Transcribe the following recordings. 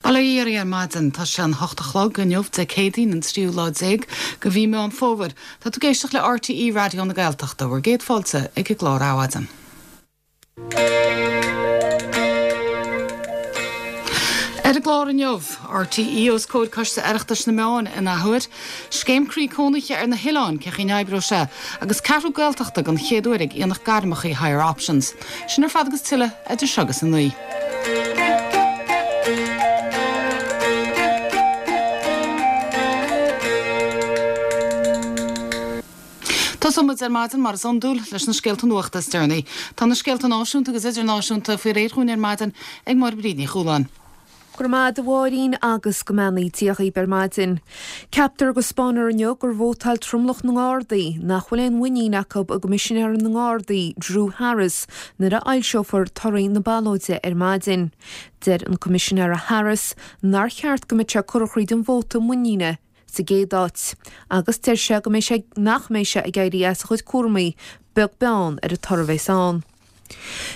Bail ó Dhia oraibh ar maidin. Tá sé an hocht a chlog inniu, Dé Céadaoin an tríú lá déag de mhí Meán Fómhair. Tá tú ag éisteacht le RTÉ Raidió na Gaeltachta. Bhur gcéad fáilte ag an gclár Adhmhaidin. Ar an gclár inniu, RTÉ os comhair Coiste Oireachtais na Meáin in athuair, Scéim Croí Cónaithe ar na hoileáin, cén chaoi a n-oibreoidh sé, agus Ceathrú Gaeltachta den chéad uair ag Aonach Gairmeacha Higher Options. Sin ar fad agus tuilleadh idir seo agus a 9. Tosóidh muid ar maidin, mar is iondúil, leis na scéalta nuachta is deireanaí. Tá na scéalta náisiúnta agus idirnáisiúnta faoi réir dhúinn ar maidin ag Máire Bríd Ní Chualáin. Go raibh maith agat a Mháirín agus go mbeannaí Dia dhaoib ar maidin. Ceaptar go 'spáinfear inniu gur vótáil tromlach na nGardaí nach bhfuil aon mhuinín acu i gCoimisinéir na nGardaí, Drew Harris, nuair a fhoilseofar torthaí na ballóide ar maidin. Deir an Coimisinéara Harris nár cheart go mbeadh sé curtha thríd an vóta muiníne sa gcéad áit agus deir sé go mbeidh sé nach mbeidh sé ag éirí as a chuid cúramaí beag beann ar an toradh a bheas ann.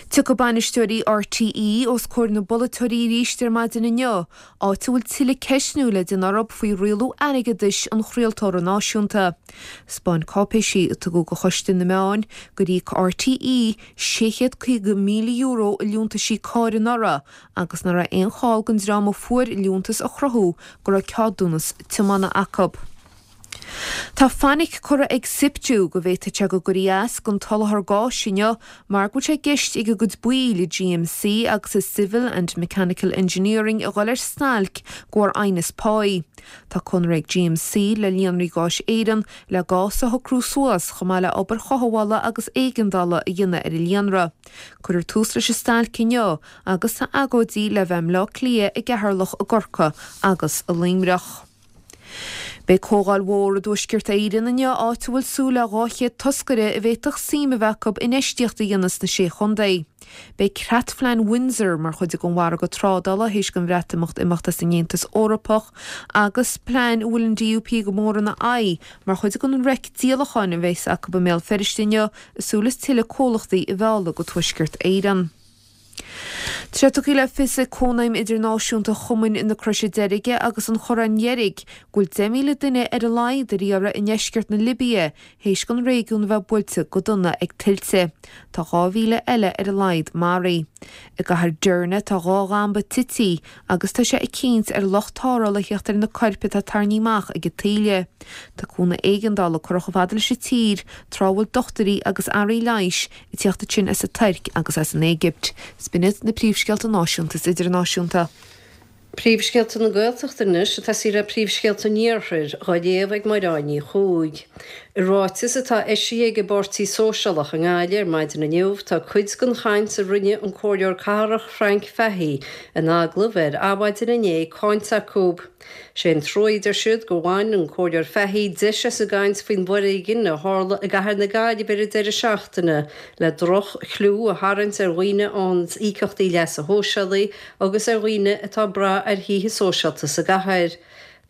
Tiocfaidh bainisteoirí RTÉ os comhair na bpolaiteoirí arís ar maidin inniu, áit a bhfuil tuilleadh ceistniú le déanamh orthu faoi rialú airgeadais an chraoltóra náisiúnta. 'Spáin cáipéisí a tugadh do Choiste na Meán gur íoc RTÉ €650,000 i liúntaisí cairr anuraidh agus nach raibh aon chall don dream a fuair liúntas a chruthú go raibh ceadúnas tiomána acu. Tá fainic curtha ag Siptu go bhféadfadh sé go gcuirfí as don tsoláthar gáis inniu mar go bhfuil sé i gceist ag a gcuid baill i GMC agus i Civil and Mechanical Engineering a dhul ar stailc de bharr aighneas páí. Tá conradh ag GMC le Líonraí Gáis Éireann le gás a shocrú suas chomh maith le obair chothabhála agus éigeandála a dhéanamh ar an líonra. Cuirfear tús leis an stailc inniu agus tá agóidí le bheith i mBleá Cliath, i gCeatharlach, i gCorcaigh agus i Luimneach. Beidh comhdháil mhór i dTuaisceart Éireann inniu áit a bhfuil súil le 200 toscaire a bhféadfadh suim a bheith acu infheistíocht a dhéanamh sna Sé Chontae. Beidh Creatphlean Windsor mar chuid den mhargadh trádála théis don Bhreatimeacht imeacht as an Aontas Eorpach agus plean a bhfuil an DUP go mór ina aghaidh mar chuid den reic díolacháin a bheas acu i mBéal Feirste inniu ag súil is tuilleadh comhlachtaí a mhealladh go Tuaisceart Éireann. Tá sé tugtha le fios ag Cónaidhm Idirnáisiúnta Chumainn na Croise Deirge agus an Chorráin Dheirg go bhfuil 10,000 duine ar a laghad ar iarraidh i ndeisceart na Libia théis don réigiún a bheith buailte go dona ag tuilte. Tá 2,000 eile ar a laghad maraithe. I gcathair Derna tá dhá dhamba tití agus tá sé ag cinnt ar lucht tarrthála a theacht ar na coirp atá tarraingthe amach ag an taoille. Tá cúnamh éigeandála curtha chomh fada leis an tír tráth a bhfuil dochtúirí agus earraí leighis ag teacht ansin as an Tuirc agus as an Éigipt. 'S b'in iad na príomhscéalta náisiúnta is idirnáisiúnta. Príomhscéalta na Gaeltachta anois ag tosaí le príomhscéalta an Iarthair, dhá léamh ag Máire Ní Chuaig. I ráiteas atá eisithe ag an bPáirtí Sóisialach i nGaillimh ar maidin inniu, tá cuid den chaint a rinne an Comhairleoir Cathrach Frank Fahey in agallamh ar Adhmhaidin inné cáinte acu. Sé an trua, a deir siad, gur bhain an Comhairleoir Fahey deis as an gcaint faoin bhforéigean a tharla i gcathair na Gaillimhe ar an deireadh seachtaine le droch-chliú a tharraingt ar dhaoine a fhaigheann íocaíochtaí leasa shóisialaigh agus ar dhaoine atá ag brath ar thithe sóisialta sa gcathair.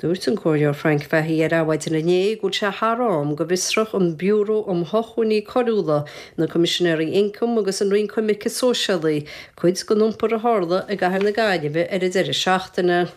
Dúirt an Comhairleoir Frank Fahey ar Adhmhaidin inné go bhfuil sé thar am go bhfiosródh an Biúró um Shócmhainní Coiriúla, na Coimisinéirí Ioncaim agus an Roinn Coimirce Sóisialaí cuid den iompar a tharla i gcathair na Gaillimhe ar an deireadh seachtaine.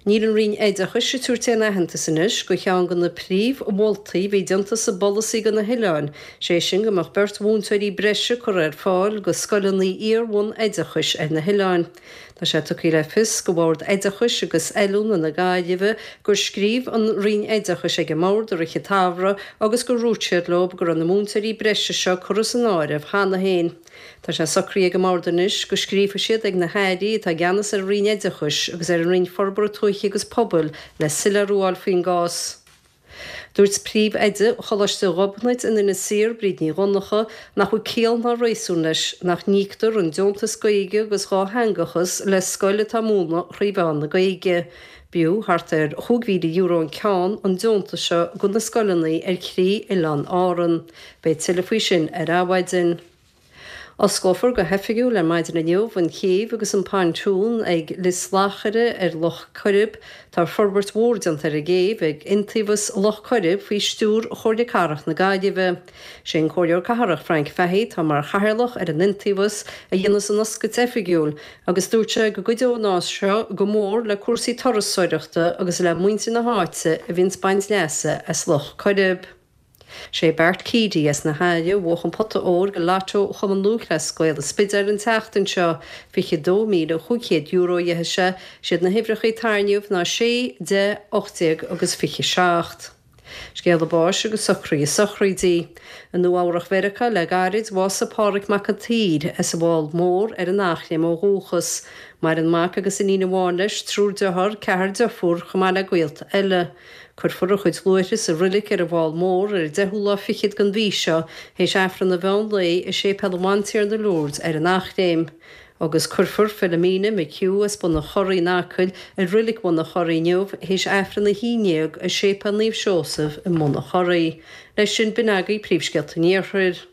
Níl an Roinn Oideachais ag tabhairt aon aitheantas anois do cheann de na príomh-mholtaí a bhí déanta sa bpolasaí do na hoileáin, sé sin go mbeadh beirt mhúinteoirí breise curtha ar fáil do scoileanna iar-bhun-oideachais ar na hoileáin. Tá sé tugtha le fios do Bhord Oideachais agus Oiliúna na Gaillimhe gur scríobh an Roinn Oideachais ag an mBord i rith an tsamhraidh agus gur dhúirt siad leo go raibh na múinteoirí breise seo curtha san áireamh cheana féin. Tá sé socraithe ag an mBord anois go scríobhfaidh siad ag na hAirí atá i gceannas ar an Roinn Oideachais agus ar an Roinn Forbartha Tuaithe agus Pobail le soiléiriú a fháil faoin gcás. Dúirt Príomh-Oide Choláiste Ghobnait in Inis Oírr, Bríd Ní Dhonnchadha, nach bhfuil ciall ná réasún leis nach n-íoctar an deontas Gaeilge agus dhátheangachas le scoil atá ag múineadh thrí mheán na Gaeilge. B'fhiú thart ar €5,000 an ceann an deontas seo do na scoileanna ar thrí oileán Árann. Beidh tuilleadh faoi sin ar Adhmhaidin. Osclófar go hoifigiúil ar maidin inniu an chéibh agus an pontún ag Lios Lachaire ar Loch Coirib. Tá forbairt mhór déanta ar an gcéibh ag Iontaobhas Loch Coirib faoi stiúir Chomhairle Cathrach na Gaillimhe. Sé an Comhairleoir Cathrach Frank Fahey atá mar chathaoirleach ar an Iontaobhas a dhéanfas an oscailt oifigiúil agus dúirt sé go gcuideoidh an áis seo go mór le cúrsaí turasóireachta agus le muintir na háite a bhíonns ag baint leasa as Loch Coirib. Sé Bart Keady as na hAille a bhuach an pota óir go Lotto Chumann Lúthchleas Gael an Spidéil an tseachtain seo. €22,500 a gheibhe sé. Siad na huimhreacha a tarraingíodh ná 6, 10, 18 agus 27. Scéala báis agus socruithe sochraidí. I Nua Eabhrach Mheiriceá le gairid, bhásaigh Pádhraic Mac an tSaoir as an bhFál Mór ar an Eachléim ó dhúchas. Maireann mac agus iníon amháin leis, triúr dearthár, ceathrar deirfiúr, chomh maith le gaolta eile. Cuirfear a chuid luaithre sa roilig ar an bhFál Mór ar an deichiú lá fichead den mhí seo, théis Aifreann an mheán lae i Séipéal an Bhantiarna Lourdes ar an Eachléim. Agus cuirfear Philomena McHugh as Bun an Chorraigh in Acaill i roilig Bhun an Chorraigh inniu théis Aifreann a haon dhéag i Séipéal Naomh Seosamh i mBun an Chorraigh. Leis sin, b'in agaibh príomhscéalta an Iarthair.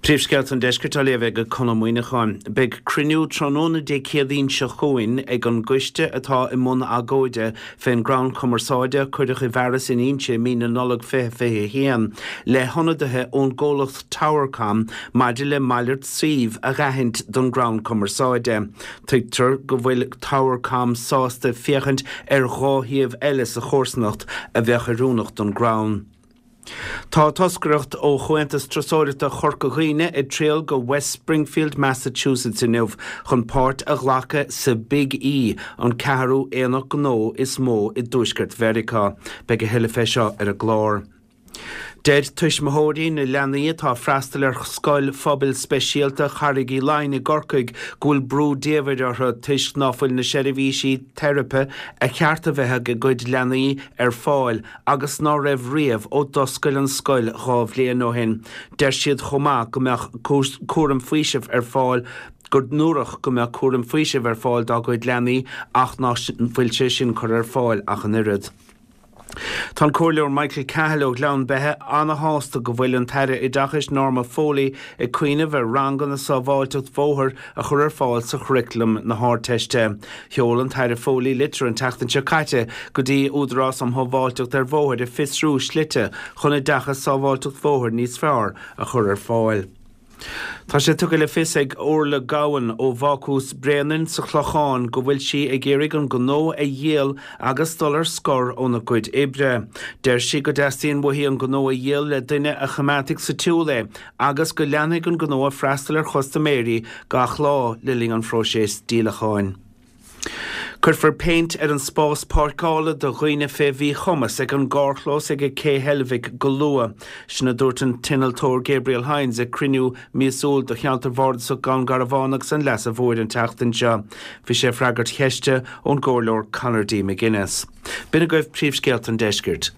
Príomhscéalta an Deiscirt á léamh ag Conn Ó Muíneacháin. Beidh cruinniú tráthnóna Dé Céadaoin seo chugainn ag an gcoiste atá i mbun agóide fén gcrann cumarsáide a cuireadh i bhfearas in Inse i mí na Nollag 2021 le hionadaithe ón gcomhlacht Towercom maidir le malairt suímh a dh'aithint don gcrann cumarsáide. Tuigtear go bhfuil Towercom sásta féachaint ar dhá shuíomh eile sa chomharsanacht a bheadh oiriúnach don gcrann. Tá toscaireacht ó Chomhaontas Turasóireachta Chorca Dhuibhne ag triall go West Springfield, Massachusetts inniu chun páirt a ghlacadh sa Big E, an ceathrú aonach gnó is mó i dTuaisceart Mheiriceá. Beidh a thuilleadh fé seo ar an gclár. Deir tuismitheoirí na leanaí atá ag freastal ar Scoil Phobail Speisialta Charraig Uí Leighin i gCorcaigh go bhfuil brú diamhair orthu toisc ná fuil na seirbhísí teiripe a cheart a bheith ag a gcuid leanaí ar fáil agus ná raibh riamh ó d'oscail an scoil 2 bhliain ó shin. Deir siad chomh maith go mbeadh cúram faoisimh ar fáil go ndúradh go mbeadh cúram faoisimh ar fáil dá gcuid leanaí ach ná fuil sé sin curtha ar fáil ach an oiread. Tá an Comhairleoir Michael Cahill ó Ghleann Beithe ana-shásta go bhfuil an tAire Oideachais Norma Foley ag cuimhneamh ar ranganna sábháilteacht bhóthair a chur ar fáil sa churaclam na hArdteiste. Sheol an tAire Foley litir an tseachtain seo caite go dtí Údarás um Shábháilteacht ar Bhóithre ag fiosrú slite chun oideachas sábháilteacht bhóthair níos fearr a chur ar fáil. Tá sé tugtha le fios ag Orla Gowan ó Bhácús Bréanainn sa Chlochán go bhfuil sí ag iarraidh an gnó a dhíol agus dul ar scor óna cuid oibre. Deir sí go dteastaíonn uaithi an gnó a dhíol le duine a choimeádfaidh sa tsiúl é agus go leanfaidh an gnó ag freastal ar chustaiméirí gach lá le linn an phróiseas díolacháin. Cuirfear péint ar an spás páirceála do dhaoine fé mhíchumas ag an gcarrchlós ag Cé Heilbhic go luath. Sin a dúirt an t-innealtóir Gabriel Hynes ag cruinniú míosúil do cheantar bhardasach Dhún Garbhán agus an Leasa Mhóir an tseachtain seo. Bhí sé ag freagairt cheiste ón gComhairleoir Conor D. McGuinness. B'in agaibh príomhscéalta an deiscirt.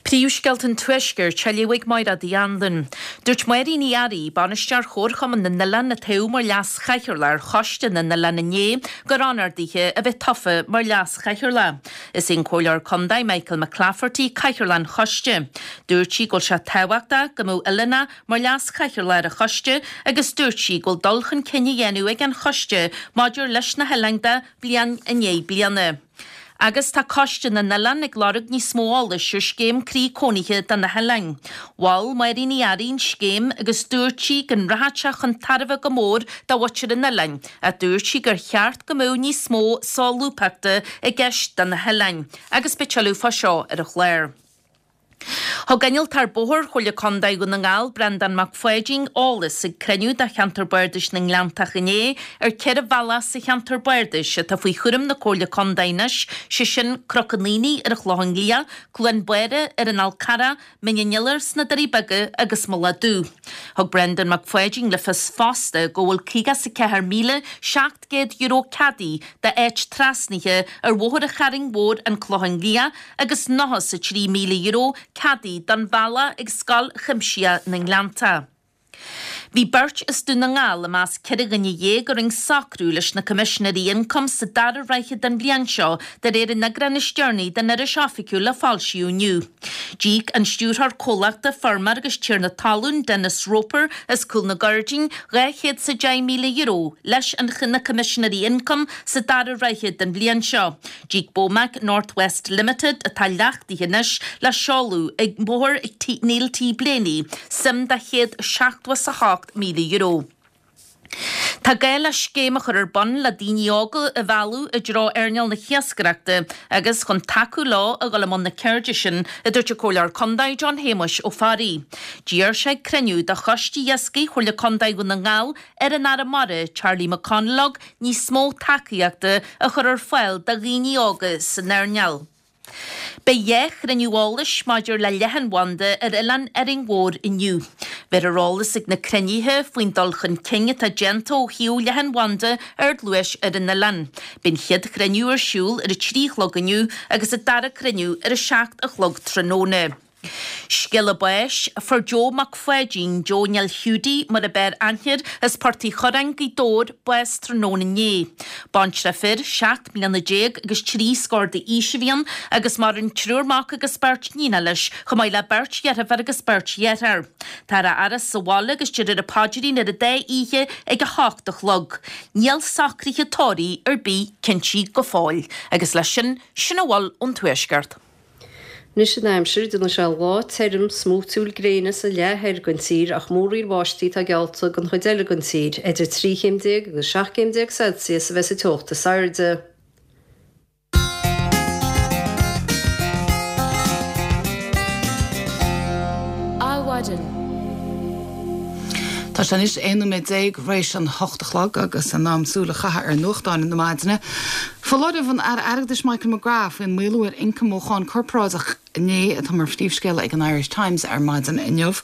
Príomhscéalta an Tuaiscirt á léamh ag Máiréad Uí Anluain. Dúirt Máirín Ní Fhearraigh, Bainisteoir Chomharchumann na nOileán a toghadh mar Leas-Chathaoirleach ar Choiste na nOileán inné, gur onóir dithe a bheith tofa mar Leas-Chathaoirleach. Is é an Comhairleoir Contae Michael McClafferty Cathaoirleach an Choiste. Dúirt sí go bhfuil sé tábhachtach go mbeadh oileánach mar Leas-Chathaoirleach ar an Choiste agus dúirt sí go bhfuil dul chun cinn á dhéanamh ag an Choiste maidir leis na hoileáin de bliain i ndiaidh bliana. Agus tá Coiste na nOileán ag lorg níos mó eolais ar scéim croí cónaithe do na hoileáin. Mhol Máirín Uí Fhearraigh an scéim agus dúirt sí go rachadh sé chun tairbhe go mór do mhuintir an oileáin ach dúirt sí gur cheart go mbeadh níos mó solúbthachta i gceist do na hoileáin. Agus beidh tuilleadh fá seo ar an chlár. Thug Innealtóir Bóthair Chomhairle Contae Dhún na nGall, Breandán Mac Pháidín, eolas ag cruinniú de Cheantar Bardais na nGleanntach inné ar 4 bhealach sa cheantar bardais atá faoi chúram na Comhairle Contae anois, sé sin Cnoc an Aonaigh ar an Chlochán Liath, Cluain Báire ar an Fhál Carrach, Mín an Iolair sna Doirí Beaga agus Mullach Dubh. Thug Breandán Mac Pháidín le fios fosta go bhfuil €54,700 ceadaithe d'áit trasnaithe ar Bhóthar an Charraing Mhóir, An Clochán Liath, agus €93,000 ceadaithe don bhealach ag Scoil Chuimsitheach na nGleanntach. Bhí beirt as Dún na nGall i measc 14 dhuine a rinne socrú leis na Coimisinéirí Ioncaim sa dara ráithe den bhliain seo, de réir an eagráin is deireanaí den Iris Oifigiúil a foilsíodh inniu. D'íoc an stiúrthóir comhlachta, feirmeoir agus tiarna talún, Denis Roper as Cúl na Gairdín, €210,000 leis an na Coimisinéirí Ioncaim sa dara ráithe den bhliain seo. D'íoc Bomac North West Limited, atá leachtaithe anois le seoladh ag Bóthar Neil T Blaney, suim de €178,000. Tá gá le scéim a chur ar bun le daoine óga a mhealladh i dtreo earnáil na hiascaireachta agus chun tacú leo a dhul i mbun na ceirde sin, a dúirt an Comhairleoir Contae John Shéamuis Ó Fearraigh. D'iarr sé ag cruinniú de Choiste Iascaigh Chomhairle Contae Dhún na nGall ar an Aire Mara, Charlie McConalogue, níos mó tacaíochta a chur ar fáil do dhaoine óga san earnáil. Beidh dhá chruinniú eolais maidir le leathanbhanda ar oileán Árainn Mhór inniu. Beifear ar eolas ag na cruinnithe faoin dul chun cinn atá déanta ó thaobh leathanbhanda ardluais ar an oileán. Beidh an chéad chruinniú ar siúl ar a 3 a chlog inniu agus an dara cruinniú ar a 7 a chlog tráthnóna. Scéala báis, Fuair Joe Mac Pháidín, Joe Neill Hiúdaí mar ab fhearr aithne air, as Port Uí Churráin, Gaoth Dobhair, bás tráthnóna inné. Baintreach fir, 17 mbliana agus 3 scór d'aois a bhí ann agus maireann triúr mac agus beirt níonacha leis, chomh maith le beirt dheirfiúr agus beirt dheartháir. Táthar á fhaire sa bhaile agus déarfar an paidrín ar an dá oíche ag 8 a chlog. Níl socruithe tórraimh ar bith cinntithe go fóill. Agus leis sin, sin a bhfuil ón Tuaisceart. Anois an aimsir, déanfaidh sé lá tirim, smúitiúil gréine sa leath thoir den tír ach múraíl bháistí atá geallta don chuid eile den tír. Idir 13 chéim agus 17 céim Celsius a bheas an teocht is airde. Adhmhaidin. Tá sé anois 11 nóiméad th'réis an hocht a chlog agus in am súil a chaitheamh ar nuachtáin na maidine. Foláireamh an Aire Airgeadais Michael McGrath faoin maolú ar ioncam ó cháin corparáideach inné atá mar phríomhscéala ag an Irish Times ar maidin inniu.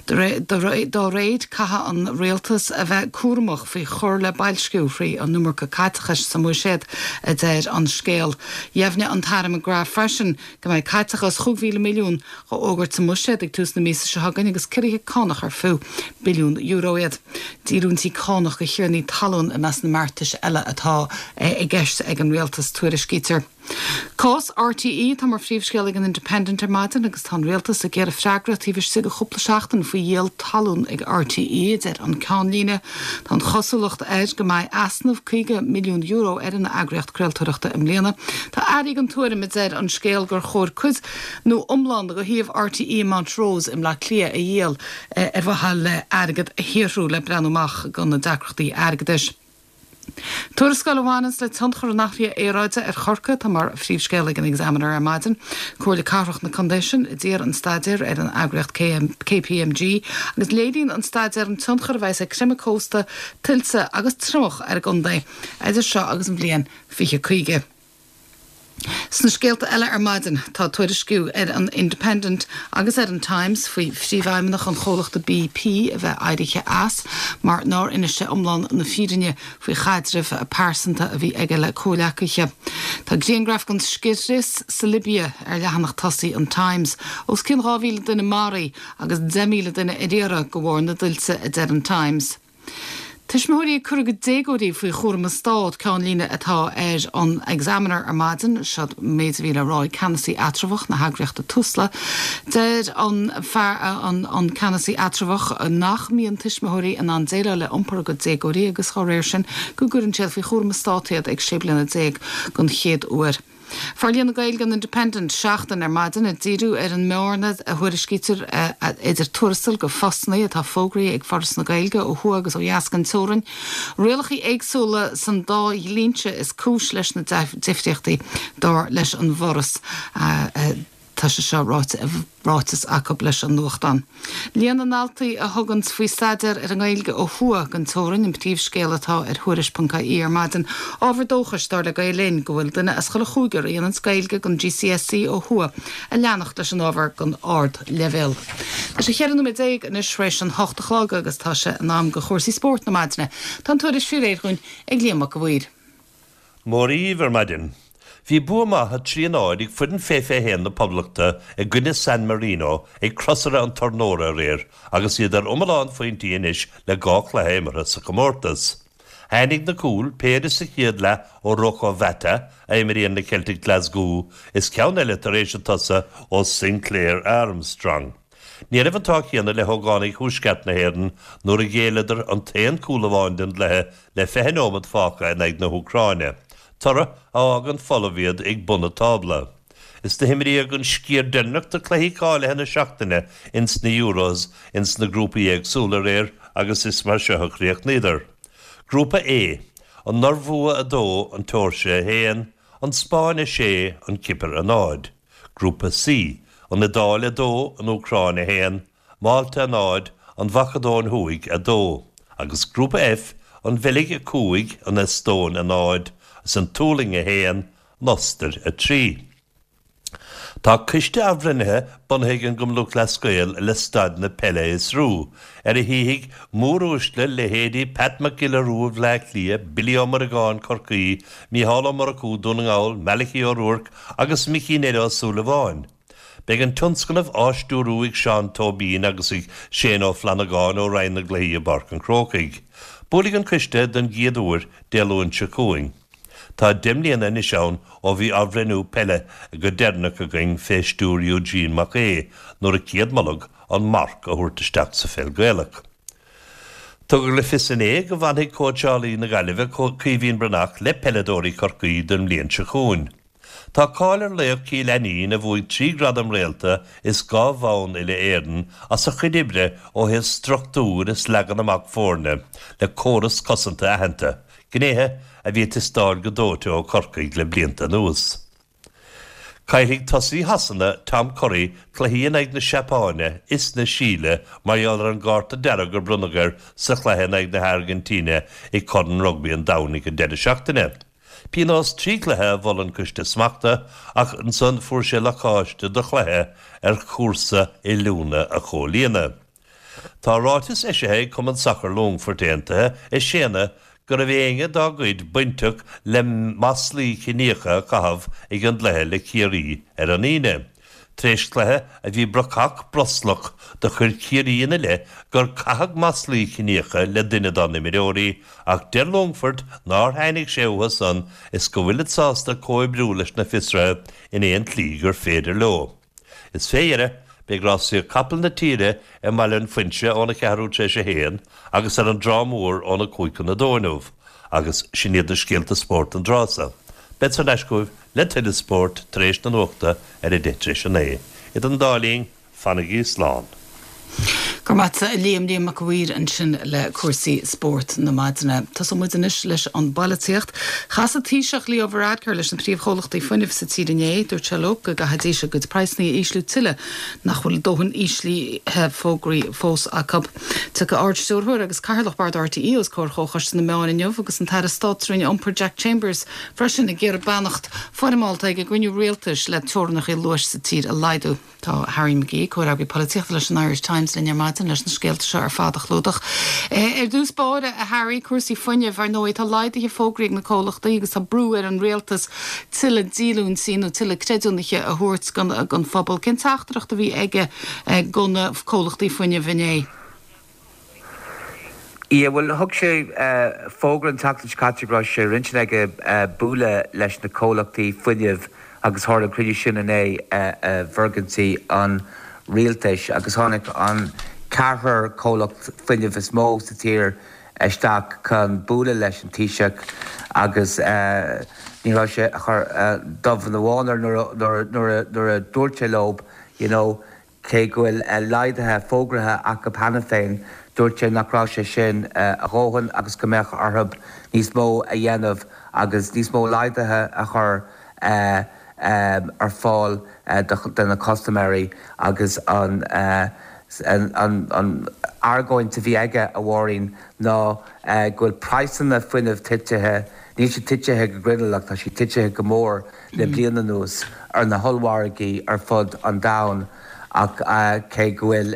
Dá réir, caithfidh an rialtas a bheith cúramach faoi chur le boilsciú thrí an iomarca caiteachais sa mbuiséad, a deir an scéal. Dheimhnigh an tAire McGrath freisin go mbeidh caiteachas 5,000 milliún á fhógairt sa mbuiséad ag tús na míosa seo chugainn agus ciorruithe cánach ar fiú billiún euro iad. Díolúintí cánach do thiarnaí talún i measc na mbeartais eile atá i gceist ag an rialtas, tuairiscítear. Cás RTÉ atá mar phríomhscéal ag an Independent ar maidin agus tá an rialtas ag iarraidh freagra taobh istigh de chúpla seachtain faoi dhíol talún ag RTÉ, a deir an ceannlíne. Tá an chosúlacht air go mbeidh easnamh €50 milliún ar an eagraíocht craoltóireachta i mbliana. Tá airí den tuairim, a deir an scéal, gur chóir cuid nó iomlán de shuíomh RTÉ i Montrose i mBleá Cliath a dhíol ar mhaithe le airgead a shaothrú le breathnú amach do na deacrachtaí airgeadais. Tuarascáil a bhaineanns le tionchar an athraithe aeráide ar Chorcaigh atá mar phríomhscéal ag an Examiner ar maidin. Comhairle Cathrach na contae sin a d'iarr an staidéar ar an eagraíocht KPMG agus léiríonn an staidéar an tionchar a bheas ag creimeadh cósta, tuilte agus triomach ar an gcontae idir seo agus an bhliain 2050. Sna scéalta eile ar maidin, tá tuairisciú ar an Independent agus ar an Times faoi phríomhfheidhmeannach an chomhlachta BP a bheith éirithe as mar nár inis sé iomlán na fírinne faoi chaidreamh pearsanta a bhí aige le comhghleacaithe. Tá grianghraf den scigaithris sa Libia ar leathanach tosaigh an Times. Os cionn 2,000 duine maraithe agus 10,000 duine ar iarraidh de bharr na dtuilte, a deir an Times. Tuismitheoirí ag cur a gcuid déagóirí faoi chúram an Stát, ceannlíne atá ar an Examiner ar maidin. Seo an méid a bhí le rá ag ceannasaí eatramhach na heagraíochta Tusla. Deir an fear, an ceannasaí eatramhach, nach mbíonn tuismitheoirí in ann déileáil le iompar a gcuid déagóirí agus dá réir sin go gcuireann siad faoi chúram an Stát iad ag 16 bliana don chéad uair. Fear líon na Gaeilge an Independent, Seachtain ar maidin ag díriú ar an mbearna a thuairiscítear idir tuarastail go phostanna atá fógraithe ag Foras na Gaeilge ó thuaidh agus ó dheas den teorainn. Rialacha éagsúla san dá dhlínse is cúis leis na difríochtaí, dar leis an bhForas. Tá sé seo ráite i ráiteas acu leis an nuachtán. Líon na ndaltaí a thuganns faoi staidéar ar an nGaeilge ó thuaidh den teorainn an príomhscéal atá ar Thuairisc.ie ar maidin. Ábhar dóchais, dar le Gael Linn, go bhfuil duine as chuile chúigear a dhéananns Gaeilge don GCSE ó thuaidh ag leanacht leis an ábhar don ardleibhéal. Tá sé 14 nóiméad anois tar éis an hocht a chlog agus tá sé in am do chúrsaí spóirt na maidine. Tá an tuairisc faoi réir dhúinn ag Liam Mac a' Mhaoir. Mora dhaoibh ar maidin. Bhí bua maith 3, 0 ag foireann fé 21 na Poblachta i gcoinne San Marino ag Crosaire an Tornóra aréir agus iad ar iomlán phointí anois le 2 chluiche imeartha sa chomórtas. Tháinig na cúil, péire sa chéad leath ó Rocco Vata, a imríonn le Celtic Glasgow, is ceann eile tar éis an tsosa ó Sinclair Armstrong. Ní raibh an t-ádh céanna le hógánaigh thuaisceart na hÉireann nuair a ghéilleadar an t-aon cúl amháin den gcluiche le 20 nóiméad fágtha in aghaidh na hÚcráine, toradh a fhágann folamh iad ag bun an tábla. Is do himríodh an sciar deireanach de cluichí cáilithe na seachtaine ins na Euros ins na grúpaí éagsúla aréir agus is mar seo a chríochnaíodar. Grúpa A, An Iorua 2, An tSeoirsia 1, An Spáinn 6, An Chipir 0. Grúpa C, An Iodáil 2, An Úcráin 1, Málta 0, An Mhacadóin Thuaidh 2, agus Grúpa F, An Bheilg 5, An Eastóin 0, is An tSualainn 1, An Ostair 3. Tá coiste athbhreithnithe bunaithe ag an gCumann Lúthchleas Gael le staid na peile a fhiosrú, ar a shuífidh móruaisle leithéidí Pat Mac Giolla Rua Bhleá Cliath, Billy Ó Muireagáin, Corcaí, Mícheál Ó Murchú, Dún na nGall, Malachy Ó Ruairc agus Micí Ned Ó Súilleabháin. Beidh an tionscnamh á stiúrú ag Seán Tóibín agus ag Shane Ó Flannagáin ó Roinn na gCluichí i bPáirc an Chrócaigh. Buailfidh an coiste don gcéad uair Dé Luain seo chugainn. Tá 10 mbliana anois ann ó bhí athbhreithniú peile go deireanach againn fé stiúir Eugene Mac Aodha nuair a céadmoladh an marc a thabhairt isteach sa pheil Gaelach. Tugadh le fios inné go bhfanfaidh cóitseálaí na Gaillimhe, Caoimhín Breathnach, le peileadóirí Chorcaí don mbliain seo chugainn. Tá cáil ar laoch Chill Ainnín, a bhuaigh 3 Ghradam Réalta is 2 bhonn Uile-Éireann, as a chuid oibre ó thaobh struchtúir is leagan amach foirne le córas cosanta aitheanta, gnéithe a bhí ag teastáil go dóite ó Chorcaigh le blianta anuas. Caillfidh tosaí Shasana, Tom Curry, cluichí in aghaidh na Seapáine is na Síle mar gheall ar an gcárta dearg a bronnadh air sa chluiche in aghaidh na hAirgintíne i gCorn Rugbaí an Domhain ag an deireadh seachtaine. Pionós 3 chluiche a mhol an Coiste Smachta ach ansan fuair sé lacáiste do chluiche ar chúrsa oiliúna a chomhlíonadh. Tá ráiteas eisithe ag Cumann Sacair Longfoirt Aontaithe ag séanadh go raibh éinne dá gcuid bainteach le maslaí ciníocha a chaitheamh ag an gcluiche le Ciarraí ar an Aoine. Tar éis cluiche a bhí brocach broslach do chuir Ciarraí ina leith gur caitheadh maslaí ciníocha le duine dá n-imreoirí ach deir Longfort nár tháinig sé uathu san is go bhfuilid sásta comhoibriú leis na fiosruithe in aon tslí gur féidir leo. Is fé dheireadh, beidh rásaíocht capall na tíre i mBaile an Phuinse óna ceathrú tar éis a haon agus ar an dTrá Mhór óna cúig chun a dó inniu agus sin iad na scéalta spóirt don dtráth so. Bead thar n-ais chugaibh le tuilleadh spóirt tar éis na nuachta ar a deich tar éis a naoi. Idir an dá linn, fanaigí slán. Go raibh maith agat a Liam, Liam Mac a' Mhaoir ansin le cúrsaí spóirt na maidine. Tosóidh muid anois leis an bpolaitíocht. Chas an Taoiseach Leo Varadkar leis na príomhchomhlachtaí fuinnimh sa tír inné. Dúirt sé leo go gcaithfidís a gcuid praghsanna a ísliú tuilleadh nach bhfuil dóthain íslithe fógraithe fós acu. Tiocfaidh Ard-Stiúrthóir agus Cathaoirleach Bord RTÉ os comhair Chomhchoiste na Meán inniu agus an tAire Stáit sa Roinn Iompair Jack Chambers freisin ag iarraidh beannacht foirmeálta ag an gcruinniú rialtais le teorainneacha luais sa tír a laghdú. Tá Harry McGee, comhfhreagraí polaitíochta leis an Irish Times linn ar maidin leis na scéalta seo ar fad a chlúdach. Ar dtús báire, a Harry, cúrsaí fuinnimh, ar ndóigh, tá laghduithe fógraithe ag na comhlachtaí agus tá brú ar an rialtas tuilleadh díolúintí nó tuilleadh creidiúnaithe a thabhairt don phobal. Cén teachtaireacht a bhí aige go na comhlachtaí fuinnimh inné? Yeah, bhuel, thug sé fógra an tseachtain seo caite go raibh sé ar intinn aige bualadh leis na comhlachtaí fuinnimh agus tharla an cruinniú sin inné i bhfoirgintí an rialtais agus tháinig an ceathrar comhlacht fuinnimh is mó sa tír isteach chun bualadh leis an Taoiseach agus ní raibh sé ag cur dubh ina bhán air nuair a dúirt sé leo, you know, Cé go bhfuil laghduithe fógraithe acu cheana féin, dúirt sé nach raibh sé sin a dhóthain agus go mbeadh orthu níos mó a dhéanamh agus níos mó laghduithe a chur ar fáil do na custaiméirí agus an argóint a bhí aige, a Mháirín, ná go bhfuil praghsanna fuinnimh titithe, níl siad titithe go grinneall ach tá siad titithe go mór le bliain anuas ar na hollmhargaí ar fud an domhain ach cé go bhfuil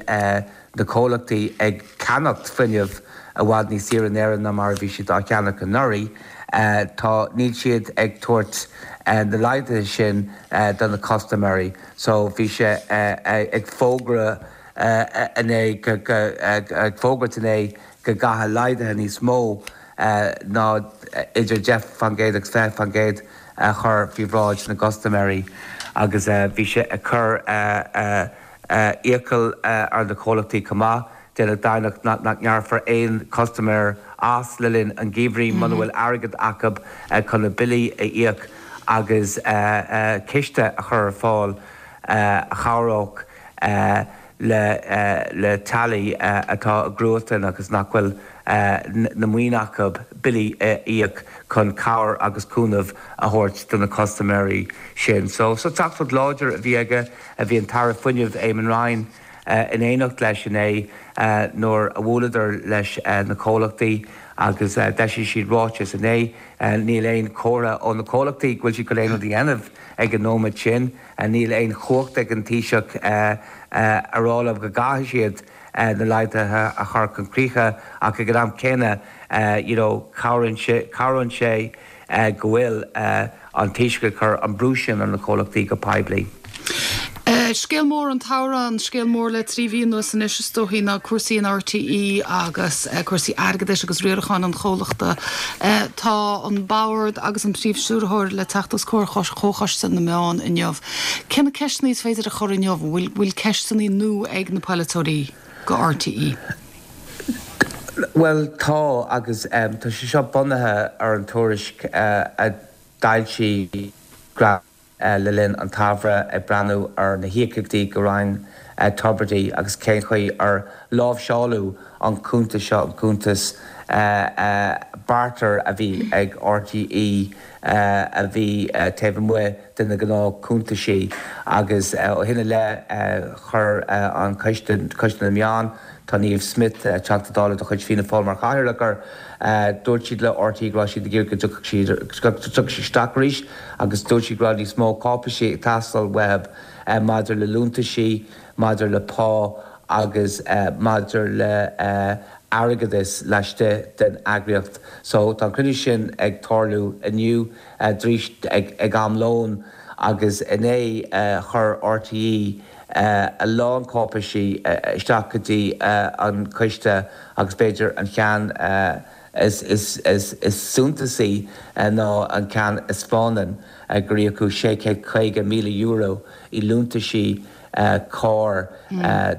na comhlachtaí ag ceannacht fuinneamh i bhfad níos saoire in Éirinn ná mar a bhí siad á cheannach anuraidh. Tá, níl siad ag tabhairt na laghduithe sin do na custaiméirí. So bhí sé ag fógra inné, ag fógairt inné go gcaithfidh laghduithe níos mó ná idir 10% agus 20% a chur faoi bhráid na gcustaiméirí agus bhí sé ag cur iachall ar na comhlachtaí chomh maith déanamh deimhneach nach ngearrfar aon chustaiméir as le linn an gheimhridh muna bhfuil airgead acu chun na billí a íoc agus ciste a chur ar fáil a chabhródh le teaghlaigh atá i gcruatan agus nach bhfuil na maoin acu billí a íoc chun cabhair agus cúnamh a thabhairt do na custaiméirí sin. So, teachtaireacht láidir a bhí aige, bhí an tAire Fuinnimh Eamon Ryan in éineacht leis inné nuair a bhuaileadar leis na comhlachtaí agus d'eisigh siad ráiteas inné. Níl aon chomhartha ó na comhlachtaí go bhfuil siad chun aon rud a dhéanamh ag an nóiméad sin. Níl aon chumhacht ag an Taoiseach a rá leo go gcaithfidh siad na laghduithe a chur chun críche ach ag an am céanna you know cabhraíonn sé, cabhraíonn sé go bhfuil an Taoiseach ag cur an brú sin ar na comhlachtaí go poiblí. Scéal mór an tsamhraidh, an scéal mór le 3 mhí anuas anois is dóichí ná cúrsaí in RTÉ agus cúrsaí airgeadais agus riaracháin an chomhlachta. Tá an Bord agus an Príomh-Stiúrthóir le teacht os comhair Chomhchoiste na Meán inniu. Cé na ceisteanna is féidir a chur inniu? An bhfuil bhfuil ceisteanna nua ag na polaiteoirí go RTÉ? Bhuel tá agus tá sé seo bunaithe ar an tuairisc a d'fhoilsigh le linn an tsamhraidh ag breathnú ar na híocaíochtaí go Ryan Tubridy agus cén chaoi ar láimhseáladh an cuntas seo, an cuntas barter a bhí ag RTÉ a bhí taobh amuigh de na gnáth cuntaisí agus ó shin i leith chuir an Coiste, Coiste na Meán, Tá Niamh Smyth, Teachta Dála de chuid Fianna Fáil mar chathaoirleach air. Dúirt siad le RTÉ go raibh siad ag iarraidh go dtiocfadh siad go dtiocfadh siad isteach arís agus dúirt siad go raibh níos mó cáipeisí ag teastáil uathu maidir le liúntaisí, maidir le pá agus maidir le airgeadas laistigh den eagraíocht. So tá an cruinniú sin ag tarlú inniu arís ag am lóin agus inné chuir RTÉ a lán cáipeisí isteach go dtí an coiste agus b'fhéidir an ceann is suntasaí ná an ceann a 'spáineann gur íocadh €650,000 i liúntaisí cairr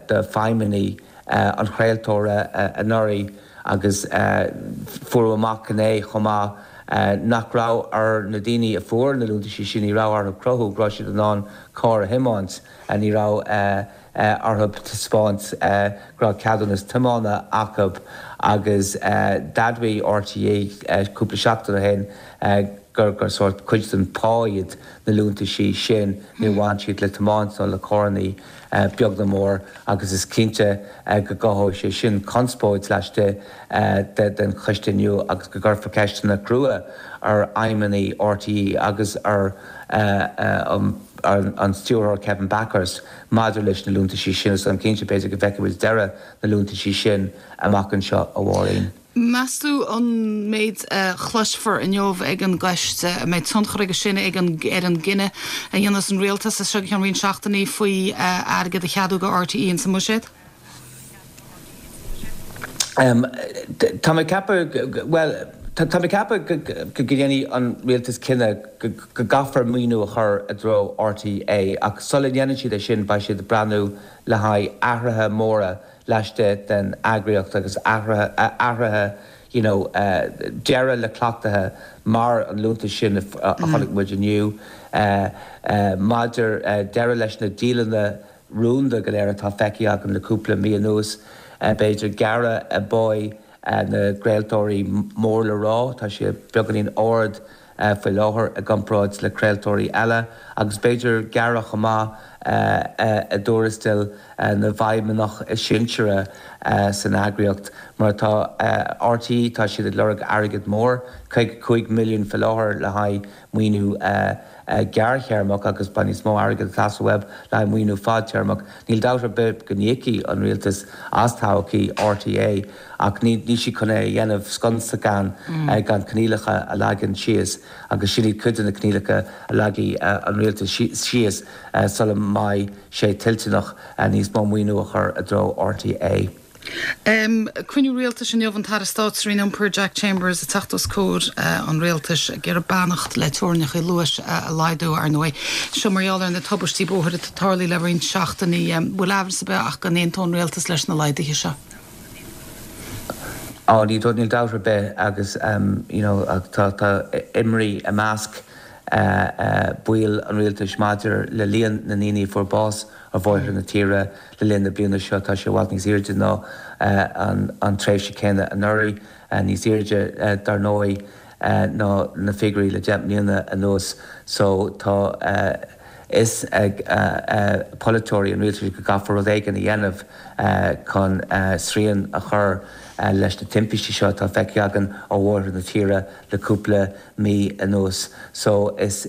do feidhmeannaigh an chraoltóra anuraidh agus fuaireadh amach inné chomh maith nach raibh ar na daoine a fuair na liúntaisí sin, ní raibh orthu cruthú go raibh siad in ann carr a thiomáint, ní raibh orthu taispeáint go raibh ceadúnas tiomána acu agus d'admhaigh RTÉ cúpla seachtain ó shin gur sórt cuid den phá iad na liúntaisí sin, níor bhain siad le tiomáint nó le carrannaí. beag nó mór, agus is cinnte go gcothóidh sé sin conspóid laistigh den choiste inniu agus go gcuirfear ceisteanna crua ar fheidhmeannaigh RTÉ agus ar an stiúrthóir Kevin Bakhurst maidir leis na liúntaisí sin. Is táim cinnte, b'fhéidir, go bhfeicfidh muid deireadh na liúntaisí sin amach anseo, a Mháirín. Meas tú an méid a chloisfear inniu ag an gcoiste, an mbeidh tionchar aige sin ag an ar an gcinneadh a dhéanfas an rialtas as seo go ceann roinnt seachtainí faoi airgead a cheadú do RTÉ insa mbuiséad? Tá mé ag ceapadh, bhuel, tá mé ag ceapadh go ndéanfaidh an rialtas cinneadh go gcaithfear maoiniú a chur i dtreo RTÉ ach sula ndéanann siad é sin beidh siad ag breathnú le haghaidh athruithe móra laistigh den eagraíocht agus athruithe, athruithe you know deireadh le cleachtaithe mar an liúntas sin a chonaic muid inniu, maidir deireadh leis na dialanna rúnda go léir atá feicthe againn le cúpla mí anuas, b'fhéidir gearradh i bpá na gcraoltóirí mór le rá, tá sé beagáinín ard faoi láthair i gcomparáid le craoltóirí eile agus b'fhéidir gearradh chomh maith i dtuarastail na bhfeidhmeannach is sinseara san eagraíocht. Mar atá RTÉ, tá siad ag lorg airgead mór, 55 milliún faoi láthair le haghaidh. maoiniú gearrthéarmach agus beidh níos mó airgid ag teastáil uathub le haghaidh maoiniú fadtéarmach. Níl dabht ar bith go n-íocfaidh an rialtas as todhchaí RTÉ ach níl siad chun é a dhéanamh sconsa gan gan coinníollacha a leagan síos agus sin iad cuid de na coinníollacha a leagfaidh an rialtas síos sula mbeidh sé toilteanach níos mó maoiniú a chur i dtreo RTÉ. Cruinniú Rialtais inniu, an tAire Stáit sa Roinn Iompair Jack Chambers ag teacht os comhair an Rialtais ag iarraidh beannacht le teorainneacha luais a laghdú, ar ndóigh. Seo mar gheall ar na tubaistí bóthair atá tarlaithe le roinnt seachtainí. Bhfuil aimhreas ar bith ach go n-aontódh an Rialtas leis na laghduithe seo? Á, níl dabht ar bith agus you know tá imní i measc baill an Rialtais maidir le líon na ndaoine a fuair bás ar bhóithre na tíre le linn na bliana seo. Tá sé i bhfad níos airde ná an tréimhse chéanna anuraidh, níos airde dar ndóigh ná na figiúirí le 10 mbliana anuas. So tá a fhios ag polaiteoirí an rialtais go gcaithfear rud éigin a dhéanamh chun srian a chur leis na timpistí seo atá feicthe againn ar bhóithre na tíre le cúpla mí anuas. So is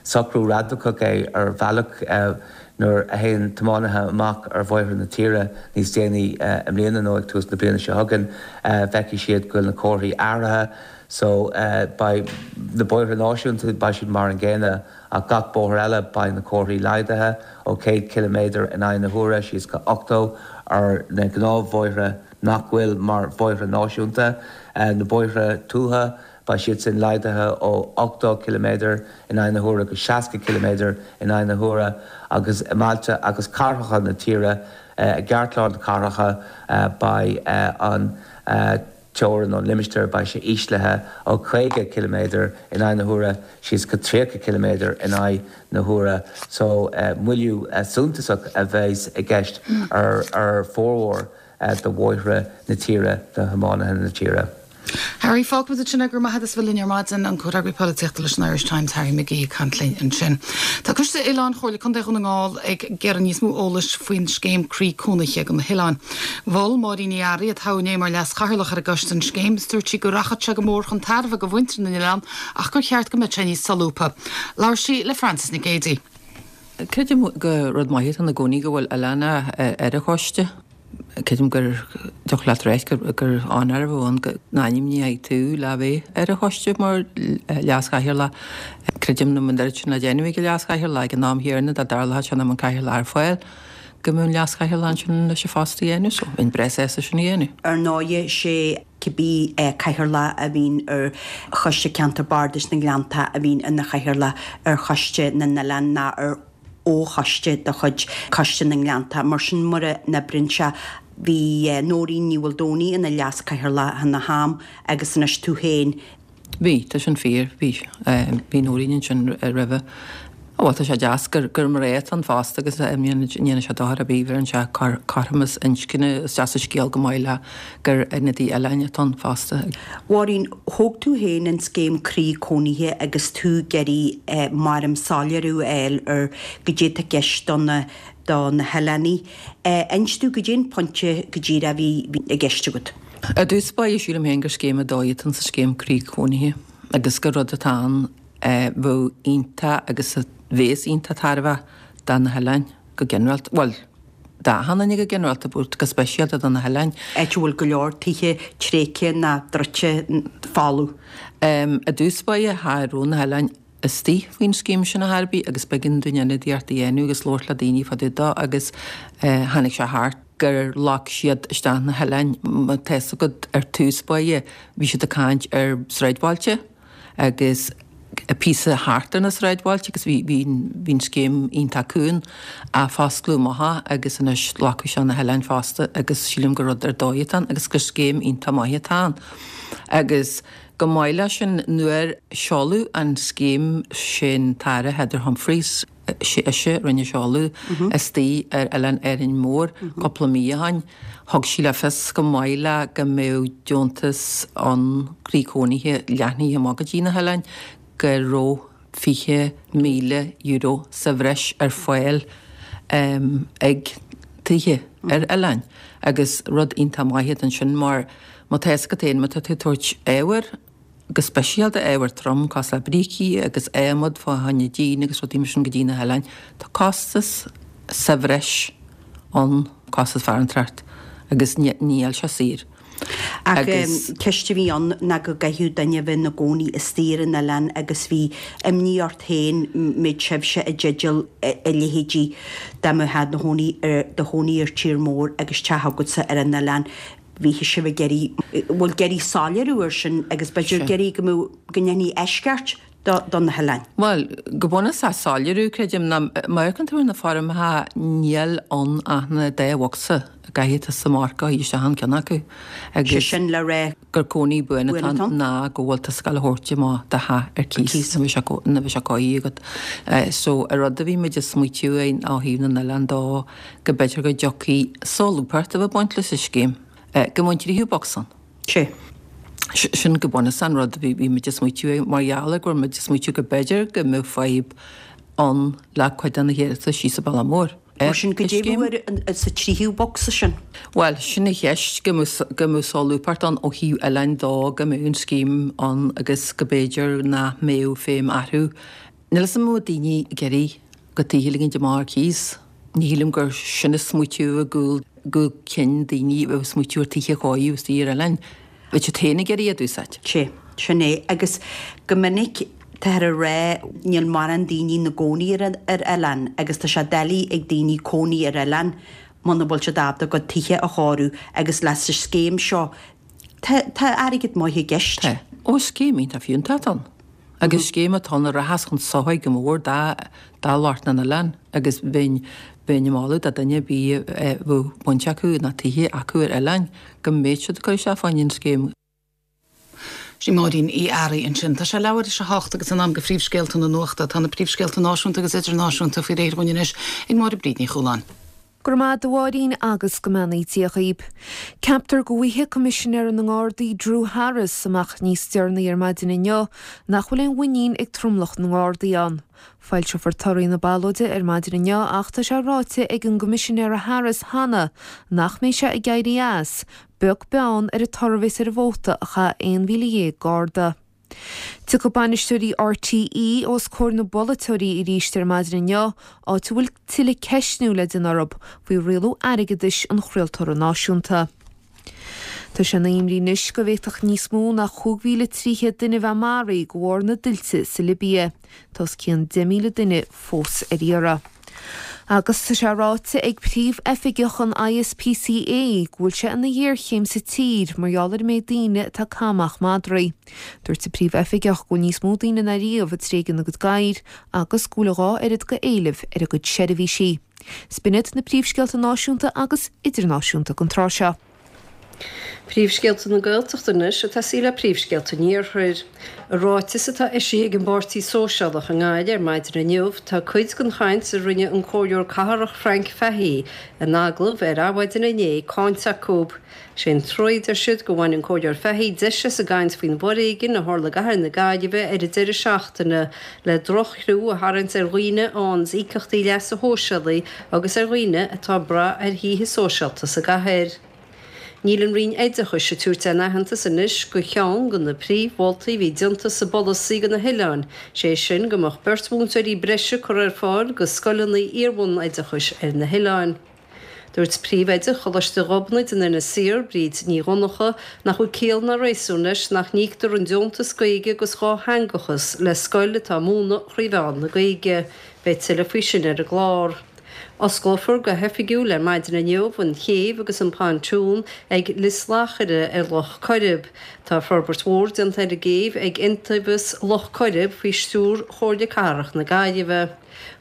socrú radacach é ar bhealach. Nuair a théann tiománaithe amach ar bhóithre na tíre níos déanaí i mbliana nó ag tús na bliana seo chugainn, feicfidh siad go bhfuil na comharthaí athraithe. So beidh na bóithre náisiúnta, beidh siad mar an gcéanna ach gach bóthar eile beidh na comharthaí laghdaithe ó 100 ciliméadar in aghaidh na huaire síos go 80 ar na gnáthbhóithre nach bhfuil mar bhóithre náisiúnta. Na bóithre tuaithe, beidh siad sin laghdaithe ó 80 ciliméadar in aghaidh na huaire go 60 ciliméadar in aghaidh na huaire agus i mbailte agus cathracha na tíre, i gceartlár na cathracha, beidh an teorainn nó an limistéar, beidh sé íslithe ó 50 ciliméadar in aghaidh na huaire síos go 30 ciliméadar in aghaidh na huaire. So, moilliú suntasach a bheas i gceist ar fhormhór. de bhóithre na tíre do thiománaithe na tíre. Harry, Fágfaimid ansin é, go raibh maith agat as bheith linn ar maidin, an comhfhreagraí polaitíochta leis an Irish Times, Harry McGee ag caint linn ansin. Tá Coiste Oileáin Chomhairle Contae Dhún na nGall ag iarraidh níos mó eolais faoin scéim Croí Cónaithe do na hoileáin. Mhol Máirín Ní Fhearraigh, a toghadh inné mar leas-chathaoirleach ar an gcoiste an scéim is dúirt sí go rachadh sé go mór chun tairbhe do mhuintir na n-oileán ach gur cheart go mbeadh sé níos solúbtha. Labhair sí le Frances Nic Géadaigh. Creidim gur rud maith atá ann i gcónaí go bhfuil oileánach ar an choiste. Creidim go dtiocfadh leat ráit gur onóir a bheadh ann go n-ainmneofaí tú le bheith ar an choiste mar leas-chathaoirleach. Creidim nach mbeadh an oiread sin le déanamh ag an leas-chathaoirleach ag an am chéanna dá dtarlódh sé nach mbeadh an cathaoirleach ar fáil go mbeadh an leas-chathaoirleach ansin leis an phost a dhéanamh so bheinn breá sásta sin a dhéanamh. Ar ndóighe, sé cibé cathaoirleach a bhíonn ar Choiste Ceantar Bardais na nGleannta a bhíonn ina chathaoirleach ar Choiste na nOileán ná ar fhochoiste de chuid Choiste na nGleannta. Mar sin, mura n-oibríonn sé, bhí Nóirín Ní Mhaoldomhnaigh ina leas-chathaoirleach ina ham agus anois tú féin. Bhí, tá sin fíor, bhí, bhí Nóirín ansin roimhe. Bhuel, tá sé deas gur gur mná atá ann fosta agus ní dhéanann sé dochar ar bith, bheireann sé cothromas inscne, is deas an scéal go maith le gur ionadaí oileáin atá ann fosta. Mháirín, thóg tú féin an scéim Croí Cónaithe agus tú ag iarraidh mar soiléiriú a fháil ar goidé atá i gceist do na do na hoileánaigh. Inis domh goidé an pointe go díreach a bhí i gceist agat. I dtús báire sílim féin gur scéim ar dóigh atá sa scéim Croí Cónaithe agus gur rud atá ann a bheadh iontach agus a bhéas iontach tairbheach do na hoileáin go ginearálta. Bhuel, d'achan duine go ginearálta but go speisialta do na hoileáin. Áit a bhfuil go leor tithe tréigthe ná druidte folamh. I dtús báire cha raibh na hoileáin istigh faoin scéim sin ar chor ar bith agus b'éigean dúinn ionadaíocht a dhéanamh agus labhairt le daoine fá dtaobh dó agus tháinig sé thart gur ghlac siad isteach na hoileáin. Má tá fhios agat ar tús báire bhí siad ag caint ar sráidbhailte agus píosa thart ar na sráidbhailte agus bhí bhí bhí an scéim iontach cúng ach foscladh amach é agus anois glacadh isteach na hoileáin fosta agus sílim gur rud ar dóigh atá ann agus gur scéim iontach maith atá ann. Agus go maith leis sin nuair seoladh an scéim sin tAire Heather Humphreys, ise a rinne seoladh istigh ar Oileán Árainn Mhór cúpla mí ó shin. Thug sí le fios go maith le go mbeadh deontas ann croí cónaithe leathnaithe amach go dtí na hoileáin go raibh €20,000 sa bhreis ar fáil ag tithe ar oileáin agus rud iontach maith ansin mar má tá fhios agat féin má tá tú ag tabhairt ábhair. go speisialta ábhar trom cosúil le brící agus adhmad fá choinne díon agus rudaí mar sin go dtí na hoileáin. Tá costas sa bhreis ann, costas farantóireacht agus níl sé saor. Ach ceist a bhí ann ná go gcaithfeadh duine a bheith ina gcónaí istigh ar an oileán agus bhí imní ort féin mbeadh sibhse i dteideal a leithéidí dá mbeifeá do chónaí ar tír mór agus teach agatsa ar an oileán. Bhí sibh ag iarraidh, bhuel, ag iarraidh soiléiriú air sin agus b'fhéidir ag iarraidh go mbeadh, go ndéanfaí eisceacht do, do na hoileáin. Bhuel, go bunúsach soiléiriú, creidim, ná má amharcann tú ar na foirmeacha níl ann ach na dá bhocsa a gcaithfidh tusa marcáil isteach an ceann acu Sé agus sin le rá gur cónaí buan atá ann ná go bhfuil tusa ag gabháil a thabhairt amach do theach ar cíos nuair a bheidh sé cóirithe agat. So, an rud a bhí muid ag smaoitiú air ó thaobh na n-oileán dó, go mb'fhéidir go dtiocfaidh solúbthacht a bheith ag baint leis an scéim, go mbeadh an tríú bocsa ann. Sea. Sin go bunúsach an rud a bhí muid ag smaoitiú air, mar gheall ar go raibh muid ag smaoitiú go mb'fhéidir go mbeadh fadhb ann le cuid de na hiarratais síos sa Bhaile Mór ar Mar sin, goidé a bheadh sa tríú bocsa sin? Bhuel, sin an cheist, go mbeadh solúbthacht ann ó thaobh oileáin dó, go mbeadh an scéim ann agus go mb'fhéidir nach mbeadh feidhm orthu Níl 'fhios a'm an bhfuil daoine ag iarraidh a gcuid tithe a ligint amach ar cíos. Ní shílim gur sin an smaoitiú i gcúl gcúl cinn daoine a bheadh ag smaoitiú ar tithe a chóiriú istigh ar oileáin. Bheadh siad féin ag iarraidh iad a úsáid. Sea, sin é. Agus go minic táthar ag rá níl mórán daoine ina gcónaí ar ar oileán agus tá sé doiligh ag daoine cónaí ar oileán muna bhfuil siad ábalta a gcuid tithe a chóiriú agus leis an scéim seo tá tá airgead maith i gceist. Tá. Ó is scéim iontach fiúntach atá ann. Agus scéim atá ann a rachas chun sochair go mór do lucht na n-oileán agus bheinn bheinn ag moladh do dhuine ar bith a bheadh baint acu nó tithe acu ar oileáin go mbeadh siad ag cur isteach fá choinne an scéim. Sin Máirín Uí Fhearraigh ansin. Tá sé leathuair théis a hocht agus in am do phríomhscéalta na nuachta. Tá na príomhscéalta náisiúnta agus idirnáisiúnta faoi réir dhúinn anois ag Máire Bríd Ní Chualáin. Go raibh maith a'd a Mháirín agus go mbeannaí Dia dhaoib. Ceaptar go bhfaighidh Coimisinéir na nGardaí Drew Harris amach níos deireanaí ar maidin inniu nach bhfuil aon mhuinín ag tromlach na nGardaí ann. Foilseofar torthaí na ballóide ar maidin inniu ach tá sé ráite ag an gCoimisinéara Harris cheana nach mbeidh sé ag éirí as, beag beann ar an toradh a bheas ar an vóta a chaith 11,000 Garda. Tiocfaidh bainisteoirí RTÉ os comhair na bpolaiteoirí arís ar maidin inniu, áit a bhfuil tuilleadh ceistniú le déanamh orthu faoi rialú airgeadais an chraoltóra náisiúnta. Tá sé ina imní anois go bhféadfadh níos mó ná 5,300 duine a bheith maraithe de bharr na dtuilte sa Libia. Tá os cionn 10,000 duine fós ar iarraidh. Agus tá sé ráite ag Príomh-Oifigeach an ISPCA go bhfuil sé ina ghéarchéim sa tír mar gheall ar an méid daoine atá ag caitheamh amach madraí. Dúirt an Príomh-Oifigeach go bhfuil níos mó daoine ná riamh ag tréigean a gcuid gadhair agus go bhfuil a dhá oiread go éileamh ar a gcuid seirbhísí. 'S b'in iad na príomhscéalta náisiúnta agus idirnáisiúnta don tráth seo. Príomhscéalta na Gaeltachta anois ag tosaí le príomhscéalta an Iarthair. I ráiteas atá eisithe ag an bPáirtí Sóisialach i nGaillimh ar maidin inniu, tá cuid den chaint a rinne an Comhairleoir Cathrach Frank Fahey in agallamh ar Adhmhaidin inné cáinte acu. Sé an trua, a deir siad, go bhain an Comhairleoir Fahey deis as an gcaint faoin bhforéigean a tharla i gcathair na Gaillimhe ar an deireadh seachtaine le droch-chlú a tharraingt ar dhaoine a fhaigheanns íocaíochtaí leasa shóisialaigh agus ar dhaoine atá ag brath ar thithe sóisialta sa gcathair. Níl an Roinn Oideachais ag tabhairt aon aitheantas anois go cheann de na príomh-mholtaí a bhí déanta sa bpolasaí do na hoileáin, sé sin go mbeadh beirt mhúinteoirí breise curtha ar fáil go scoileanna iar-bhunoideachais ar na hoileáin. Dúirt Príomh-Oide Choláiste Ghobnait in Inis Oírr, Bríd Ní Dhonncha, nach bhfuil ciall ná réasún leis nach n-íoctar an deontas Gaeilge agus dhátheangachas le scoil atá ag múineadh thrí mheán na Gaeilge. Beidh tuilleadh faoi sin ar an gclár. Osclófar go hoifigiúil ar maidin inniu an chéibh agus an pontún ag Lios Lachaire ar Loch Coirib. Tá forbairt mhór déanta ar an gcéibh ag Iontaobhas Loch Coirib faoi stiúr Chomhairle Cathrach na Gaillimhe.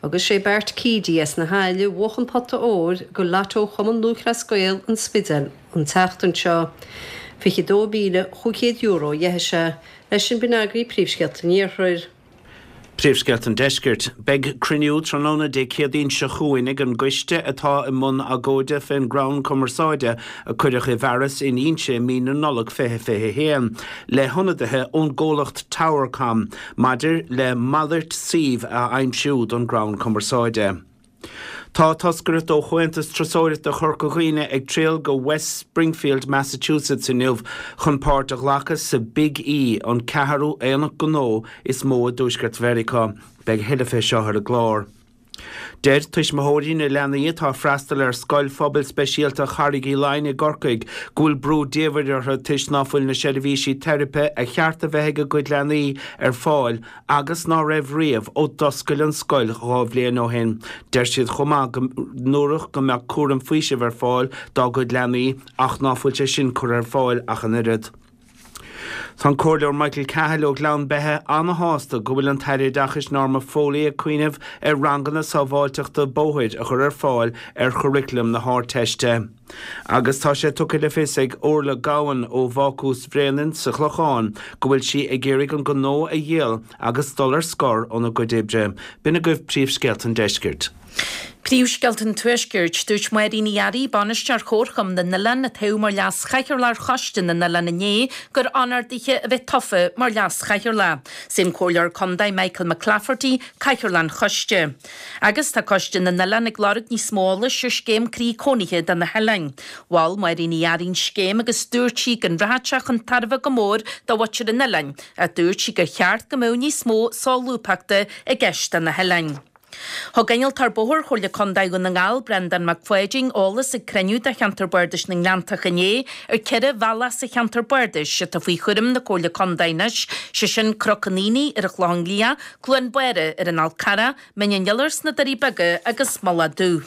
Agus sé Bart Keady as na hAille a bhuach an pota óir go Lotto Chumann Lúthchleas Gael an Spidéil an tseachtain seo. €22,500 a gheibh sé. Leis sin b'in agaibh príomhscéalta an Iarthair. Príomhscéalta an Deiscirt. Beidh cruinniú tráthnóna Dé Céadaoin seo chugainn ag an gcoiste atá i mbun agóide fén gcrann cumarsáide a cuireadh i bhfearas in Inse i mí na Nollag 2021 le hionadaithe ón gcomhlacht Towercom maidir le malairt suímh a aimsiú don gcrann cumarsáide. Tá toscaireacht ó Chomhaontas Turasóireachta Chorca Dhuibhne ag triall go West Springfield, Massachusetts inniu chun páirt a ghlacadh sa Big E, an ceathrú aonach gnó is mó i dTuaisceart Mheiriceá. Beidh a thuilleadh fé seo ar an gclár. Deir tuismitheoirí na leanaí atá ag freastal ar Scoil Phobail Speisialta Charraig Uí Leighin i gCorcaigh go bhfuil brú diamhair orthu toisc ná fuil na seirbhísí teiripe a cheart a bheith ag a gcuid leanaí ar fáil agus ná raibh riamh ó d'oscail an scoil 2 bhliain ó shin. Deir siad chomh maith go ndúradh go mbeadh cúram faoisimh ar fáil dá gcuid leanaí ach ná fuil sé sin curtha ar fáil ach an oiread. Tá an Comhairleoir Michael Cahill ó Ghleann Beithe ana-shásta go bhfuil an tAire Oideachais Norma Foley ag cuimhneamh ar ranganna sábháilteachta bóthair a chur ar fáil ar churriculum na hArdteiste. Agus tá sé tugtha le fios ag Orla Gowan ó Bhácús Bhréanainn sa Chlochán go bhfuil sí ag iarraidh an gnó a dhíol agus dul ar scor óna cuid oibre. B'in agaibh príomhscéalta an deiscirt. Príomhscéalta an Tuaiscirt, Dúirt Máirín Ní Fhearraigh, Bainisteoir Chomharchumann na nOileán, a toghadh mar Leas-Chathaoirleach ar Choiste na nOileán inné, gur onóir dithe a bheith tofa mar Leas-Chathaoirleach. Is é an Comhairleoir Contae Michael McClafferty Cathaoirleach an Choiste. Agus tá Coiste na nOileán ag lorg níos mó eolais ar scéim croí cónaithe do na hoileáin. Mhol Máirín Ní Fhearraigh an scéim agus dúirt sí go rachadh sé chun tairbhe go mór do mhuintir an oileáin ach dúirt sí gur cheart go mbeadh níos mó solúbthachta i gceist do na hoileáin. Thug Innealtóir Bóthair Chomhairle Contae Dhún na nGall, Breandán Mac Pháidín, eolas ag cruinniú de Cheantar Bardais na nGleanntach inné ar 4 bhealach sa cheantar bardais atá faoi chúram na Comhairle Contae anois, sé sin Cnoc an Aonaigh ar an Chlochán Liath, Cluain Bára ar an Fhál Carrach, Mín an Iolair sna Doirí Beaga agus Mullach Dubh.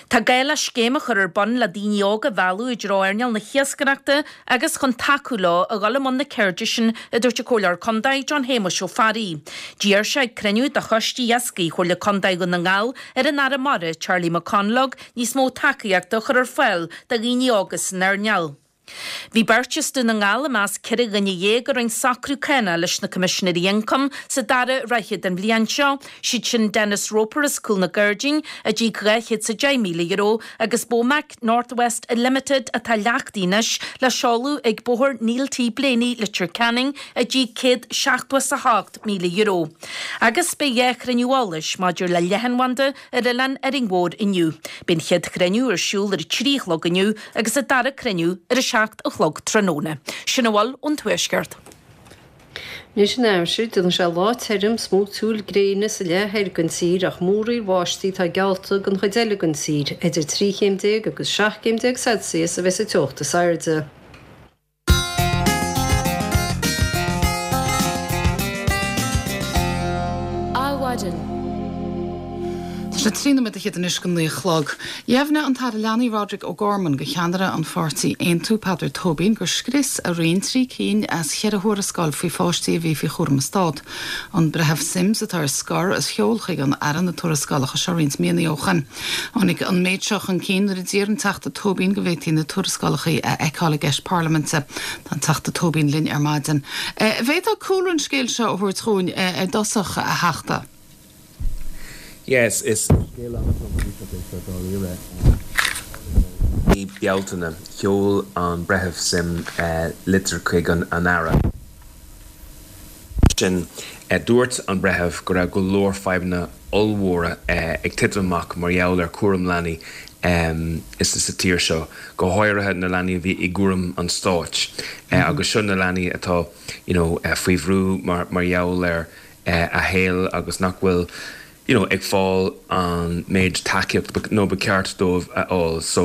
Tá gá le scéim a chur ar bun le daoine óga a mhealladh i dtreo earnáil na hiascaireachta agus chun tacú leo a dhul i mbun na ceirde sin, a dúirt an Comhairleoir Contae John Shéamuis Ó Fearraigh. D'iarr sé ag cruinniú de Choiste Iascaigh Chomhairle Contae Dhún na nGall ar an Aire Mara, Charlie McConalogue, níos mó tacaíochta a chur ar fáil do dhaoine óga san earnáil. Bhí beirt as Dún na nGall i measc 14 dhuine a rinne socrú cánach leis na Coimisinéirí Ioncaim sa dara ráithe den bhliain seo, siad sin Denis Roper as Cúl na Gairdín, a d'íoc €210,000, agus Bomac North West Limited atá leachtaithe anois le seoladh ag Bóthar Neil T Blaney, Leitir Ceanainn, a d'íoc €178,000. Agus beidh 2 chruinniú eolais maidir le leathanbhanda ar oileán Árainn Mhór inniu. Beidh an chéad chruinniú ar siúl ar a 3 a chlog inniu agus an dara cruinniú ar a 7 a chlog tráthnóna. Sin a bhfuil ón Tuaisceart. Anois an aimsir, déanfaidh sé lá tirim smúitiúil gréine sa leath thoir den tír ach múraíl bháistí atá geallta don chuid eile den tír. Idir 13 chéim agus 17 céim Celsius a bheas an teocht is airde. Adhmhaidin. Tá sé 13 nóiméad anois go 9 a chlog. Dheimhnigh an tAire Leanaí Roderic O'Gorman go cheannaire an pháirtí Aontú, Peadar Tóibín, gur scrios a roinn 3 cinn as cheithre thuarascáil faoi pháistí a bhí faoi chúram an Stát. An Breitheamh Simms, atá ar scor, a sheol chuig an Aire na tuarascálacha seo roinnt míonna ó shoin. Tháinig an méid seo chun cinn nuair a d'iarr an Teachta Tóibín go bhféadfaí na tuarascálacha a fheiceáil i gceist parlaiminte. Tá an Teachta Tóibín linn ar maidin. An bhféadfá cúlra an scéil seo a thabhairt dhúinn ar dtosach, a Theachta? Yes, is scéal an-tromchúiseach é seo dáiríre. I mí Bealtaine, sheol an Breitheamh Sim litir chuig an Aire. sin. Dúirt an breitheamh go raibh go leor fadhbanna ollmhóra ag titim amach mar gheall ar chúram leanaí sa tír seo, go háirithe na leanaí a bhí i gcúram an stáit agus seo na leanaí atá you know faoi bhrú mar gheall ar a shaol agus nach bhfuil you know ag fáil an méid tacaíocht nó ba cheart dóibh a fháil. So.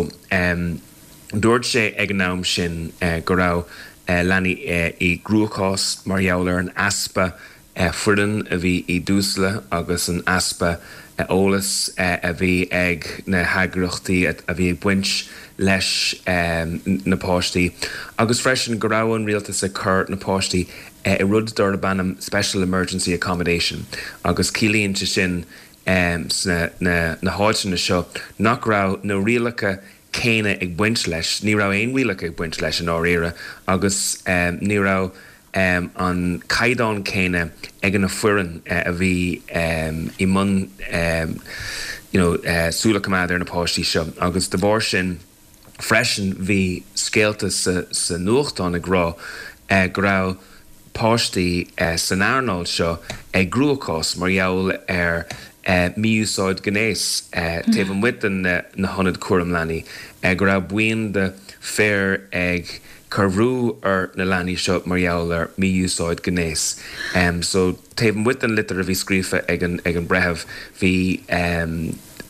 Dúirt sé ag an am sin go raibh leanaí i gcruachás mar gheall ar an easpa foireann a bhí i dTusla agus an easpa eolais a bhí ag na heagraíochtaí a bhí ag baint leis na páistí agus freisin go raibh an rialtas ag cur na páistí i rud darb ainm Special Emergency Accommodation agus ciallaíonn sé sin sna na háiteanna seo nach raibh na rialacha céanna ag baint leis. Ní raibh aon rialacha ag baint leis i ndáiríre agus ní raibh an caighdeán céanna ag na foireann a bhí i mbun you know súil a choimeád ar na páistí seo agus de bharr sin freisin bhí scéalta sa nuachtán ag rá go raibh páistí san earnáil seo i gcruachás mar gheall ar. mí-úsáid gnéis taobh amuigh de na hionaid cúram leanaí, go raibh buíon de fir ag cur bhrú ar na leanaí seo mar gheall ar mí-úsáid gnéis. So taobh amuigh den litir a bhí scríofa ag an ag an breitheamh bhí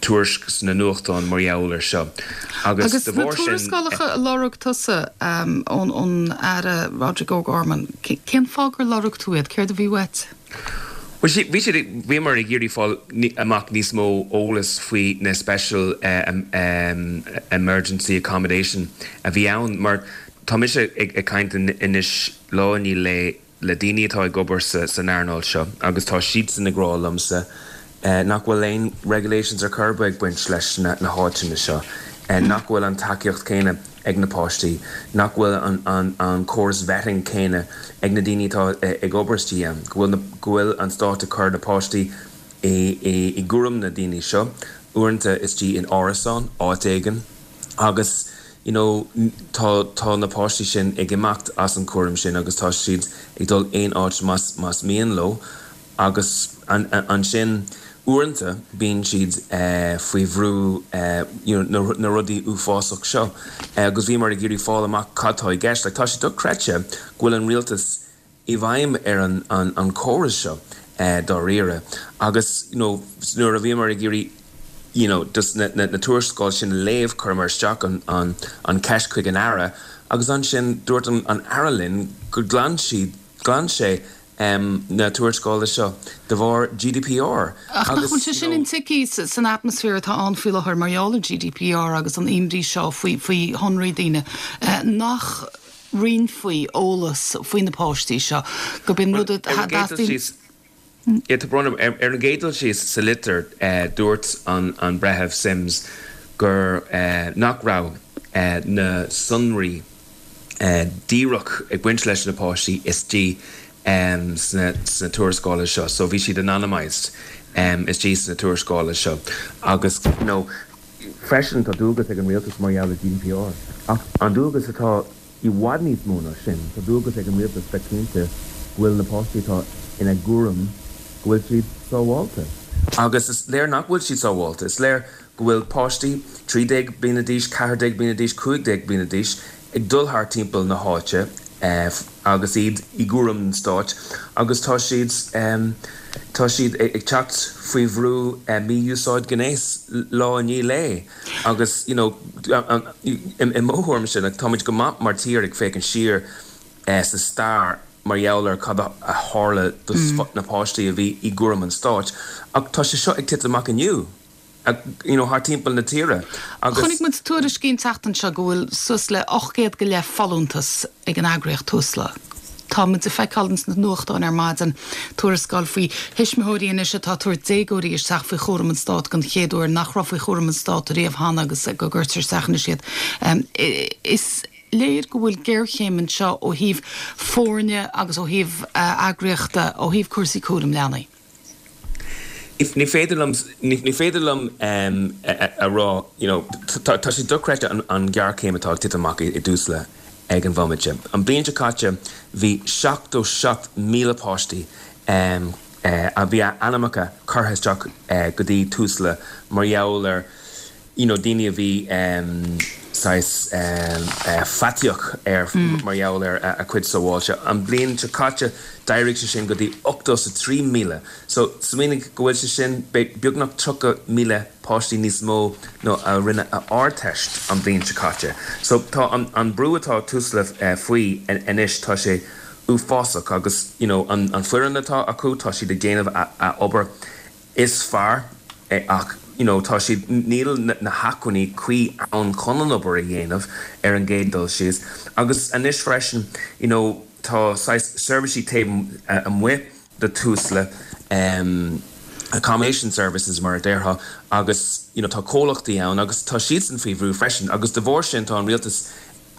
tuairisc sna nuachtáin mar gheall ar seo agus de bharr sin. Agus na tuarascálacha a lorg tusa ón Aire Roderic O'Gorman, cén fáth gur lorg tú iad? Céard a bhí uait? Bhuel, bhí siad, bhíomar ag iarraidh fáil amach níos mó eolas faoi na special emergency accommodation a bhí ann mar tá mise ag caint anois lá i ndiaidh lae le daoine atá ag obair san earnáil seo agus tá siadsan ag rá liomsa nach bhfuil aon regulations ar chor ar bith ag baint leis na háiteanna seo, nach bhfuil an tacaíocht céanna ag na páistí, nach bhfuil an córas vetting céanna ag na daoine atá ag obair istigh ann, go bhfuil go bhfuil an stát ag cur na páistí i gcúram na daoine seo, uaireanta istigh in árasán, áit éigin, agus you know tá tá na páistí sin ag imeacht as an cúram sin agus tá siad ag dul aon áit más más mian leo. Agus ansin, uaireanta, bíonn siad faoi bhrú you know na rudaí uafásach seo. Agus bhíomar ag iarraidh fáil amach cad tá i gceist. Like tá sé dochreidte go bhfuil an rialtas i bhfeidhm ar an an córas seo dáiríre. Agus you know nuair a bhíomar ag iarraidh you know just na na tuarascáil sin a léamh, chuireamar isteach an an an ceist chuig an Aire agus ansin dúirt an an Aire linn gur ghlan siad, ghlan sé na tuarascála seo de bharr GDPR Ach nach bhfuil sé sin intuigthe san atmaisféar atá ann faoi láthair mar gheall ar GDPR agus an imní seo faoi faoi shonraí daoine, nach roinnfí eolas faoi na páistí seo, gurb in rud a dteastaíonn. Yeah, tá brón orm. Ar an gcéad dul síos, sa litir, dúirt an Breitheamh Simms gur nach raibh na sonraí díreach ag baint leis na páistí istigh sna tuarascála seo. So bhí siad anonymised istigh sna tuarascála seo. Agus you know freisin tá dualgas ag an rialtas mar gheall ar GDPR. Ach an dualgas atá i bhfad níos mó ná sin, tá dualgas ag an rialtas bheith cinnte go bhfuil na páistí atá ina gcúram, go bhfuil siad sábháilte. Agus is léir nach bhfuil siad sábháilte. Is léir go bhfuil páistí 13 bliana d'aois, 14 bliana d'aois, 15 bliana d'aois ag dul thart timpeall na háite agus iad i gcúram an stáit agus tá siad tá siad ag teacht faoi bhrú mí-úsáid gnéis lá i ndiaidh lae agus you know i mo thuairimse like táimid go maith mar tír ag féachaint siar sa stair mar gheall ar cad a tharla do na páistí a bhí i gcúram an stáit ach tá sé seo ag titim amach inniu. you know, thart timpeall na tíre agus. Chonaic muid tuairiscí an tseachtain seo go bhfuil suas le 800 go leith folúntas ag an eagraíocht Tusla. Tá muid ag feiceáil ins na nuachtáin ar maidin tuarascáil faoi thuismitheoirí anois atá ag tabhairt déagóirí isteach faoi chúram an Stáit den chéad uair nach raibh faoi chúram an Stáit riamh cheana agus go gcuirtear isteach anois iad. Is léir go bhfuil géarchéim anseo ó thaobh foirne agus ó thaobh eagraíochta, ó thaobh cúrsaí cúraim leanaí. Ní féidir liom, ní féidir liom a rá, you know, tá sé dochreidte an ghéarchéim atá ag titim amach i dTusla ag an bhomaite. An bhliain seo caite bhí 77,000 páistí a bhí a ainmneacha curtha isteach go dtí Tusla mar gheall ar, you know daoine a bhí saghas faitíoch ar mar gheall ar a cuid sábháilte. An bhliain seo caite d'éirigh sé sin go dtí 83,000. So smaoinigh go bhfuil sé sin beagnach 30,000 páistí níos mó ná a rinne a Ardteist an bhliain seo caite. So tá an brú atá Tusla faoi anois tá sé uafásach agus you know an foireann atá acu tá siad ag déanamh a obair is fearr ach you know tá siad, níl na hacmhainní cuí ann chun an obair a dhéanamh ar an gcéad dul síos. Agus anois freisin you know tá saghas seirbhísí taobh amuigh de Tusla, accommodation services mar a déarfá agus you know tá comhlachtaí ann agus tá siadsan faoi bhrú freisin agus de bharr sin tá an rialtas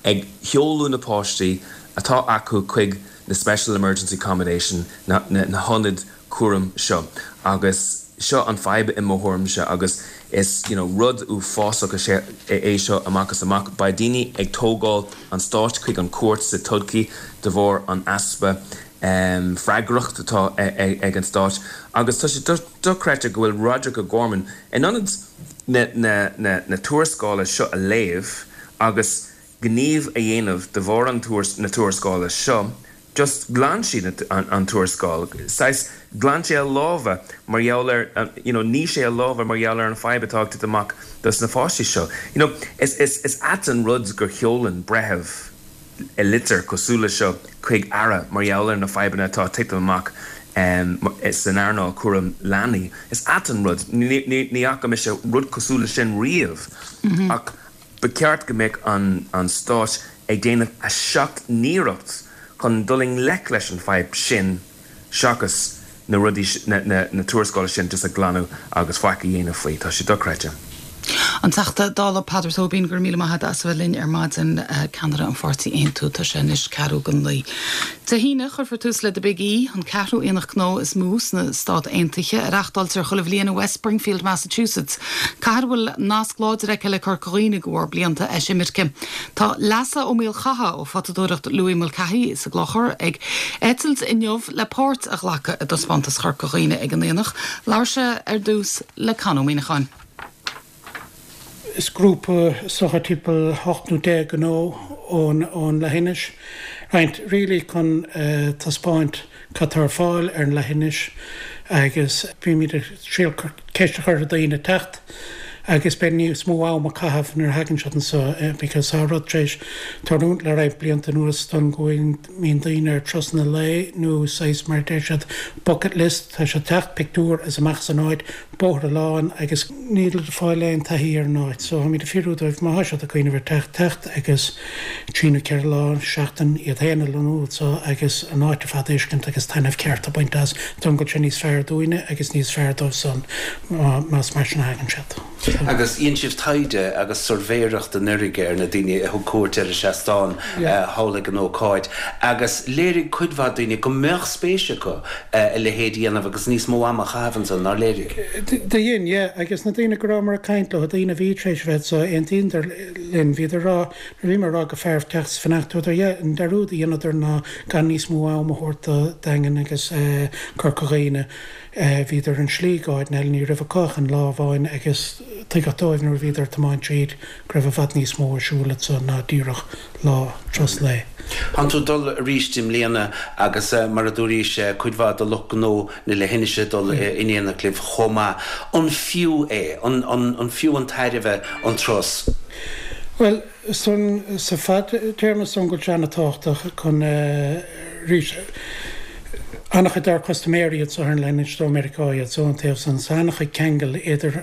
ag seoladh na páistí atá acu chuig na special emergency accommodation, na hionaid cúraim seo. Agus seo an fadhb i mo thuairimse agus is you know rud uafásach is ea é seo amach is amach. Beidh daoine ag tógáil an stáit chuig an cúirt sa todhchaí de bharr an easpa. Freagracht atá ag an Stát agus tá sé dochreidte go bhfuil Roderic O'Gorman in ionad na tuarascála seo a léamh agus gníomh a dhéanamh de bharr na tuarascála seo, just ghlan siad an tuarascáil, saghas ghlan sé a lámha mar gheall ar, you know, nigh sé a lámha mar gheall ar an fadhb atá ag titim amach dos na pháistí seo. You know, is, is, is ait an rud gur sheolann breitheamh litir cosúil le seo chuig aire mar gheall ar na fadhbanna atá ag titim amach san earnáil cúram leanaí. Is ait an rud, ní fhaca mise rud cosúil le sin riamh ach ba cheart go mbeadh an stát ag déanamh a sheacht n-iarracht chun dul i ngleic leis an fadhb sin. seachas na rudaí, na tuarascála sin just a ghlanadh agus faic a dhéanamh faoi. Tá sé dochreidte. An Teachta Dála Peadar Tóibín, go raibh míle maith agat as a bheith linn ar maidin, ceannaire an pháirtí Aontú. Tá sé anois ceathrú go naoi. Dé hAoine, cuirfear tús le The Big E, an ceathrú aonach gnó is mó sna Stát Aontaithe, a reachtáiltear chuile bhliain i West Springfield, Massachusetts, cathair a bhfuil nasc láidir aici le Corca Dhuibhne de bharr blianta eisimirce. Tá Leasa Ó Maolchatha ó Photadóireacht Louis Mulcahy sa gClochar ag eitilt inniu le páirt a ghlacadh i dTaispeántas Chorca Dhuibhne ag an Aonach. Labhair sé ar dtús le Con Ó Muíneacháin. Is grúpa is dócha timpeall 8 nó 10 gnó ón leithinis. Roinnt really chun taispeáint cad tá ar fáil ar an leithinis agus bímid ag triail ceist a chur ar daoine teacht agus beidh níos mó am a caitheamh nuair a thagann siad anseo because tá rud tar éis tarlúint le roinnt blianta anuas don go mbíonn daoine ar turasanna lae nó saghas mar a deir siad bucket list tá siad teacht pictiúr is amach as an áit bóthar lán agus níl ag fáil aon taithí ar an áit so táimid ag fiafraí dóibh má tá siad ag cuimhneamh ar teacht, teacht agus trí nó 4 lá, seachtain, iad féin a lonnú anso agus an áit ar fad a fheiscint agus taitneamh ceart a bhaint as don go bhfuil sé níos fearr dúinne agus níos fearr dóibh san más mar sin a thagann siad. Agus dhein sibh taighde agus suirbhéireacht anuraidh ar na daoine a thug cuairt ar an seastán thall ag an ócáid agus léirigh cuid mhaith daoine go mbeadh spéis acu a leithéid a dhéanamh agus níos mó ama a chaitheamh ansan, nár léirigh? Do dhein, yeah. Agus na daoine go rabhamar ag caint leo, daoine a bhí tar éis a bheith anso, aontaíodar linn, bhíodar ag rá, nuair a bhíomar ag rá gur fearr teacht is fanacht, dúradar, yeah, an dearúd a dheineadar ná gan níos mó am a thabhairt do Daingean agus Corca Dhuibhne. Bhíodar ar an slí go áiteanna eile, ní raibh acu ach an lá amháin agus tuigeadh dóibh nuair a bhíodar ag tiomáint tríd go raibh i bhfad níos mó ar siúl anso ná díreach lá, turas lae. Tánn tú ag dul arís i mbliana agus mar a dúraís cuid mhaith de lucht gnó na leithinise ag dul in éineacht libh chomh maith. An fiú é? An fiú an tairbhe an turas? Bhuel, san sa fadtéarma is dóigh go bhfuil sé an-tábhachtach chun arís an-chuid dár custaiméirí iad so ar an leithinis ó Meiriceá iad so an taobh san so an-chuid ceangal idir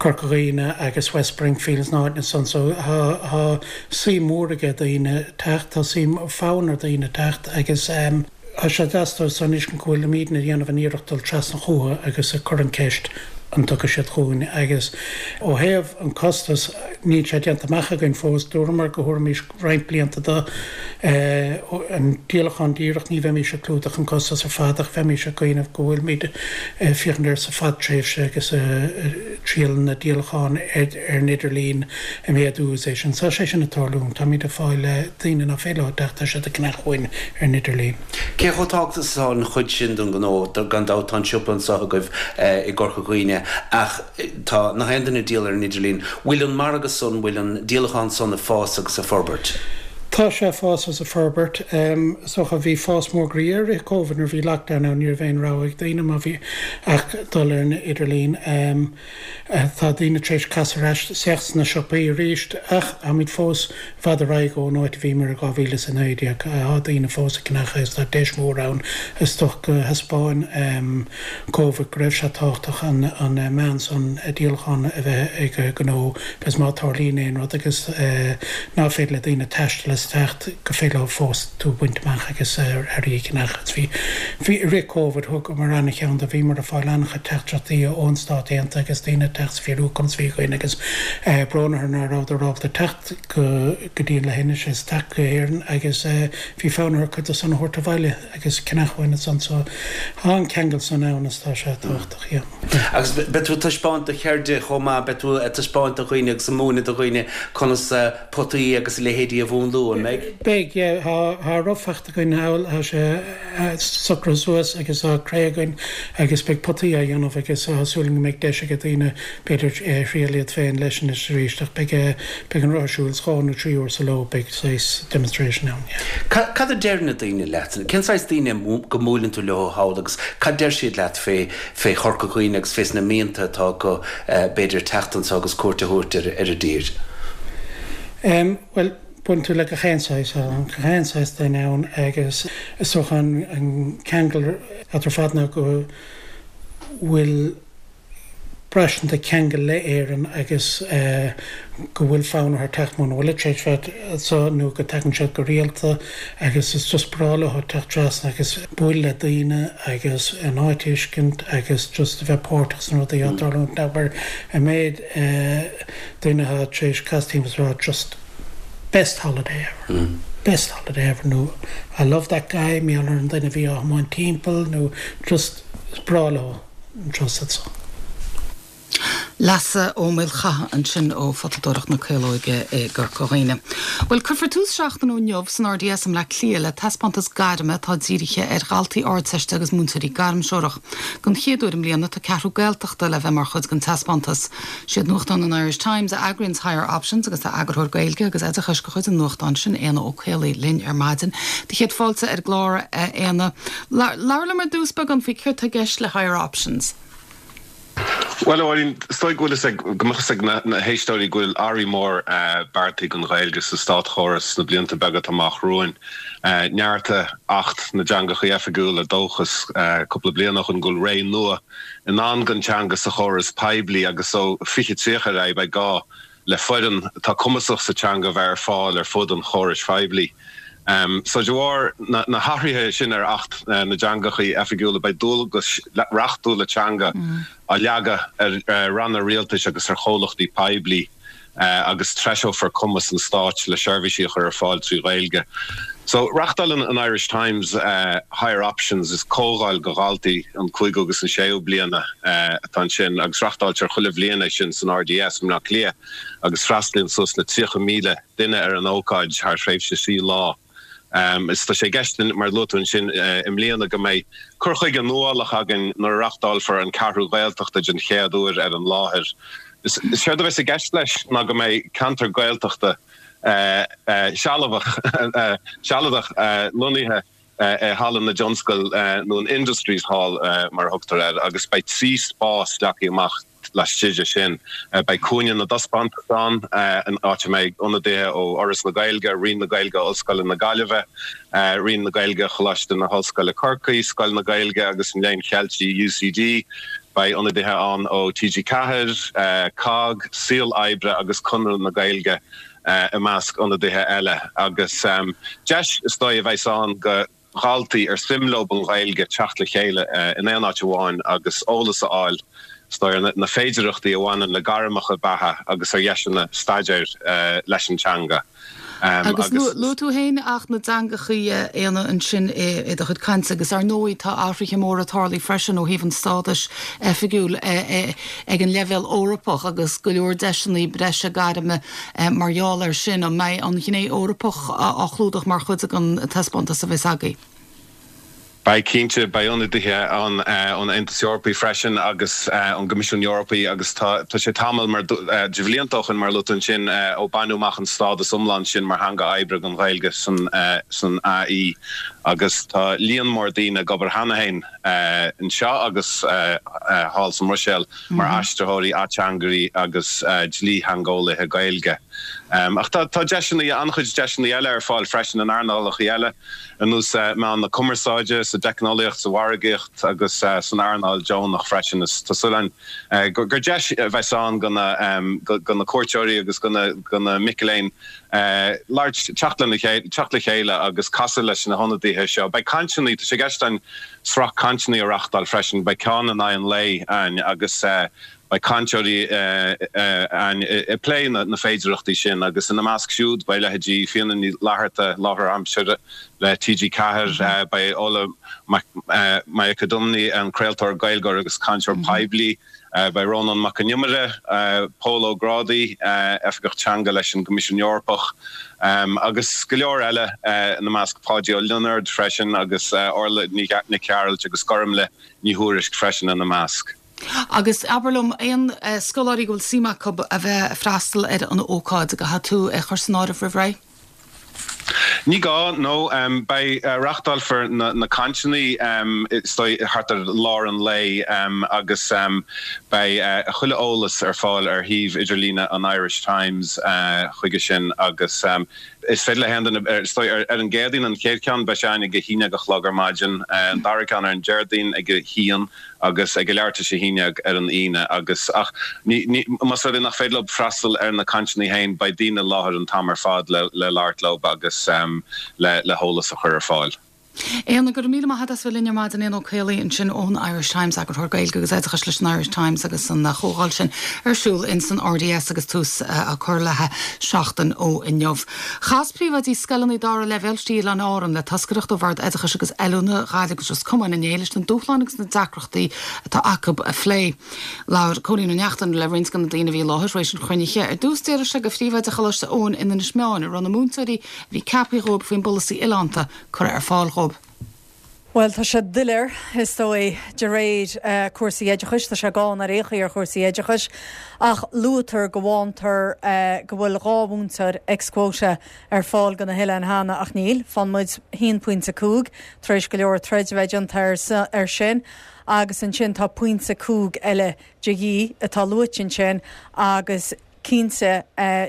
Corca Dhuibhne agus West Springfield is na háiteanna san so tá tá suim mhór aige daoine teacht tá suim fonn ar daoine teacht agus Tá sé deas dóibh san fheiscint go bhfuilimídne ag déanamh an iarracht dul trasna chúthu agus ag cur an ceist an dtiocfaidh siad chugainn agus ó thaobh an costas níl sé déanta amach againn fós, dúramar go thabharfaimis roinnt blianta do an díolachán díreach, ní bheimís ag clúdach an costas ar fad ach bheimís ag cuimhneamh go bhfuilimid ag féachaint air sa fadtréimhse agus ag triail na díolacháin ar an idirlíon a mhéadú is é sin. Tá sé sin ag tarlúint. Táimid ag fáil daoine nach féidir leo teacht, tá siad ag ceannach uainn ar an idirlíon. Cé chomh tábhachtach is atá an chuid sin den ghnó? Gan dabht tá an siopa anseo agaibh i gCorca Dhuibhne ach tá nach aon duine ag díol ar an idirlíon. Bhfuil an margadh san, bhfuil an díolachán san ag fás agus ag forbairt? Tá sé ag fás agus ag forbairt. Is dócha bhí fás mór groí air i rith Covid nuair a bhí lockdown ann ní raibh aon rogha ag daoine má bhí ach dul ar an idirlíon. Tá daoine tar éis casadh ar ais isteach sna siopaí arís ach táimid fós i bhfad ar aghaidh ón áit a bhíomar i 2019. Tá daoine fós ag ceannach agus tá deis mhór ann. Is dócha go thaispeáin Covid go raibh sé tábhachtach an meán san díolacháin a bheith ag gnó because má tarlaíonn aon rud agus ná féidir le daoine taisteal is teacht go féidir leo fós tú a bhaint amach agus earraí a cheannach. Agus bhí, bhí, i rith Covid thugamar an-cheann de, bhíomar ag fáil an-chuid teachtaireachtaí ón Stát Aontaithe agus daoine ag teacht is fiafraí conas a bhí againn agus brón orthu ná rabhadar ábalta teacht go, go dtí an leithinis is teacht go hÉirinn agus bhí fonn orthu cuid de san a thabhairt abhaile agus ceannach uainn ansan so tá an ceangal san ann is tá sé tábhachtach, yeah. Agus beidh tú ag taispeáint do cheirde chomh maith, beidh tú ag taispeáint do dhaoine agus ag múineadh do dhaoine conas potaí agus a leithéidí a mhúnlú. ló, an mbeidh? Beidh, yeah. Tá roth faighte againn thall, tá sé socraithe suas agus tá cré againn agus beidh potaí á dhéanamh agus tá súil againn go mbeidh deis ag daoine b'fhéidir thriail iad féin leis anois arís ach beidh beidh an roth ar siúl 2 nó 3 uair sa ló, beidh saghas demonstration ann, yeah. Cad a deir na daoine leat? Cén saghas daoine go mbuaileann tú leo thall agus cad deir siad leat fé fé Chorca Dhuibhne agus fés na mianta atá acu b'fhéidir teacht anso agus cuairt a thabhairt ar ar an dtír? Em, bhuel, buaileann tú le gach aon saghas, tá gach aon saghas duine ann agus is dócha an an ceangal eatarthu ar fad ná go bhfuil braistint de cheangal le Éirinn agus go bhfuil fonn orthu teacht muna bhfuil tar éis bheith anseo nó go dtagann siad go rialta agus is just breá leo teacht trasna agus bualadh le daoine agus an áit a fheiscint agus just a bheith páirteach sna rudaí atá ag tarlúint. Abair an méid daoine atá tar éis casadh timpeall is a rá just best holiday ever, best holiday ever nó I love that guy, mar gheall ar an duine a bhí á thiomáint timpeall nó just is breá leo. anseo sa tso. Leasa Ó Maolchatha ansin ó Photadóireacht na Caolóige i gCorca Dhuibhne. Bhuel, cuirfear tús seachtain ó inniu san RDS i mBleá Cliath le taispeántas gairme atá dírithe ar dhaltaí Ardteiste agus múinteoirí gairmthreorach. Don chéad uair i mbliana tá ceathrú Gaeltachta le bheith mar chuid den taispeántas. Siad nuachtán an Irish Times a eagraíonns Higher Options agus tá eagarthóir Gaeilge agus Oideachais de chuid an nuachtáin sin, Éanna Ó Caollaí, linn ar maidin. Do chéad fáilte ar an gclár, a Éanna. Labhair liom ar dtús beagán faoi céard tá i gceist le Higher Options. Bhuel, a Mháirín, is dóigh go bhfuil fhios ag, go mbeadh fhios ag na héisteoirí go bhfuil athrú mór beartaithe don Ghaeilge sa státchóras sna blianta beaga atá amach romhainn. Neartaigh Acht na dTeangacha Oifigiúla, dóchas cúpla bliain ó shin go bhfuil ré nua i ndán don teanga sa chóras poiblí agus ó 2030 ar aghaidh beidh gá le foireann atá cumasach sa teanga a bheith ar fáil ar fud an chórais phoiblí. So de bharr na hathruithe sin ar Acht na dTeangacha Oifigiúla beidh dualgais reachtúla teanga á leagadh ar ranna rialtais agus ar chomhlachtaí poiblí agus treiseofar cumas an stáit le seirbhísí a chur ar fáil trí Ghaeilge. So reachtálann an Irish Times Higher Options, is comhdháil do dhaltaí an cúigiú agus an séú bliana atá ansin agus reachtáiltear chuile bhliain é sin san RDS i mBleá Cliath agus freastalaíonn suas le 30,000 duine ar an ócáid thar thréimhse trí lá. Is tá sé i gceist, mar a luaigh tú ansin, i mbliana go mbeidh cur chuige nuálach againn nuair a reachtálfar an Ceathrú Ghaeltachta den chéad uair ar an láthair. Is éard a bheas i gceist leis ná go mbeidh ceantar Gaeltachta sealbhach, sealadach lonnaithe i Halla na dTionscal nó an Industries Hall mar a thugtar air agus beidh 3 spás leagtha amach laistigh de sin. Beidh cúinne na dtaispeántas ann, an áit a mbeidh ionadaithe ó Fhoras na Gaeilge, Roinn na Gaeilge Ollscoile na Gaillimhe, Roinn na Gaeilge Choláiste na hOllscoile Corcaigh, Scoil na Gaeilge agus an Léinn Cheiltigh UCD, Beidh ionadaithe ann ó TG4, COGG, Saol Oibre agus Conradh na Gaeilge i measc ionadaithe eile agus deis is dóigh a bheas ann do dhaltaí ar suim leo an Ghaeilge teacht le chéile in aon áit amháin agus eolas a fháil is dóigh ar na féidearthachtaí a bhaineann le gairmeacha beatha agus ar dheiseanna staidéir leis an teanga. Agus luaigh tú féin Acht na dTeangachaí, a Éanna, ansin i do chuid cainte agus ar ndóigh tá athruithe móra tarlaithe freisin ó thaobh an stádais oifigiúil ag an leibhéal Eorpach agus go leor deiseanna breise gairme mar gheall air sin. An mbeidh an ghné Eorpach á chlúdach mar chuid den taispeántas a bheas agaibh? Beidh, cinnte. Beidh ionadaithe ann ón Aontas Eorpaí freisin agus ón gCoimisiún Eorpaí agus tá sé tamall mar de bhlianta ó shin, mar a luaigh tú ansin, ó baineadh amach an stádas iomlán sin mar theanga oibre don Ghaeilge san AE agus tá líon mór daoine ag obair cheana féin anseo agus thall sa mBruiséil mar aistritheoirí, ateangairí agus dlítheangeolaithe Gaeilge. Ach tá deiseanna, an-chuid deiseanna eile ar fáil freisin in earnálacha eile. ar nós meáin na cumarsáide, sa dteicneolaíocht, sa mhargaíocht agus san earnáil deonach freisin. Is tá súil againn gur deis a bheas ann do na cuairteoirí agus do na mic léinn labhairt, teacht lena chéile, teacht le chéile agus casadh leis na hionadaithe seo. Beidh cainteanna, tá sé i gceist againn sraith cainteanna a reachtáil freisin, beidh ceann in aghaidh an lae againn agus Beidh cainteoirí ann ag plé na féidearthachtaí sin agus ina measc siúd beidh leithéidí Fíona Ní Fhlatharta, láithreoir aimsire le TG4, beidh Ola Majekodunmi, an craoltóir, Gaeilgeoir agus cainteoir poiblí. Beidh Rónán Mac Con Iomaire, Pól Ó Grádaigh, Oifigeach Teanga leis an gCoimisiún Eorpach, agus go leor eile ina measc, Páidí Ó Lionáird freisin agus Orla Nic Gearailt agus Gormlaith Ní Thuairisg freisin ina measc. Agus abair liom, aon scoláirí go bhfuil suim acu a bheith ag freastal ar an ócáid, an gcaithfidh tú é a chur san áireamh roimh ré? Ní gá, no. Beidh, reáchtálfar na cainteanna is dóigh thart ar lár an lae agus beidh chuile eolas ar fáil ar shuíomh idirlíne an Irish Times chuige sin agus is féidir le haon duine, is dóigh, ar an gCéadaoin, an chéad cheann, beidh sé againn ag a haon déag a chlog ar maidin, an dara ceann ar an Déardaoin ag a haon. agus ag a leathuair tar éis a haon déag ar an Aoine agus ach ní, ní, más rud é nach féidir leo freastal ar na cainteanna féin beidh daoine i láthair an t-am ar fad le, le labhairt leo agus le, le heolas a chur ar fáil. Éanna, go raibh míle maith agat as bheith linn ar maidin. Éanna Ó Caollaí ansin ón Irish Times, Eagarthóir Gaeilge agus Oideachais leis an Irish Times agus an chomhdháil sin ar siúl ins an RDS agus tús á cur léi seachtain ó inniu. Chas príomhoidí scoileanna dara leibhéal thrí Oileáin Árann le toscaireacht ó Bhord Oideachais agus Oiliúna Ghaillimh agus Ros Comáin inné leis na dúshláin agus na deacrachtaí atá acu a phlé. Labhair Cóilín Ó Neachtain le roinnt de na daoine a bhí i láthair tar éis an chruinnithe. Ar dtús d'fhiafraigh sé de phríomhoide Choláiste Eoin in Inis Meáin an raibh na múinteoirí a bhí ceaptha dhóibh faoin bpolasaí oileánta curtha ar fáil dhóibh. Bhuel, tá sé doiléir, is dóigh, de réir cúrsaí oideachais, tá sé gann ar aon chaoi ar chúrsaí oideachais, ach luaitear go bhfántar go bhfuil 2 mhúinteoir ex quota ar fáil do na hoileáin cheana, ach níl. Fánn muid 1.5 tar éis go leor troid a bheith déanta air sin, agus ansin tá pointe 5 eile de dhíth atá luaite ansin agus, Cinnte,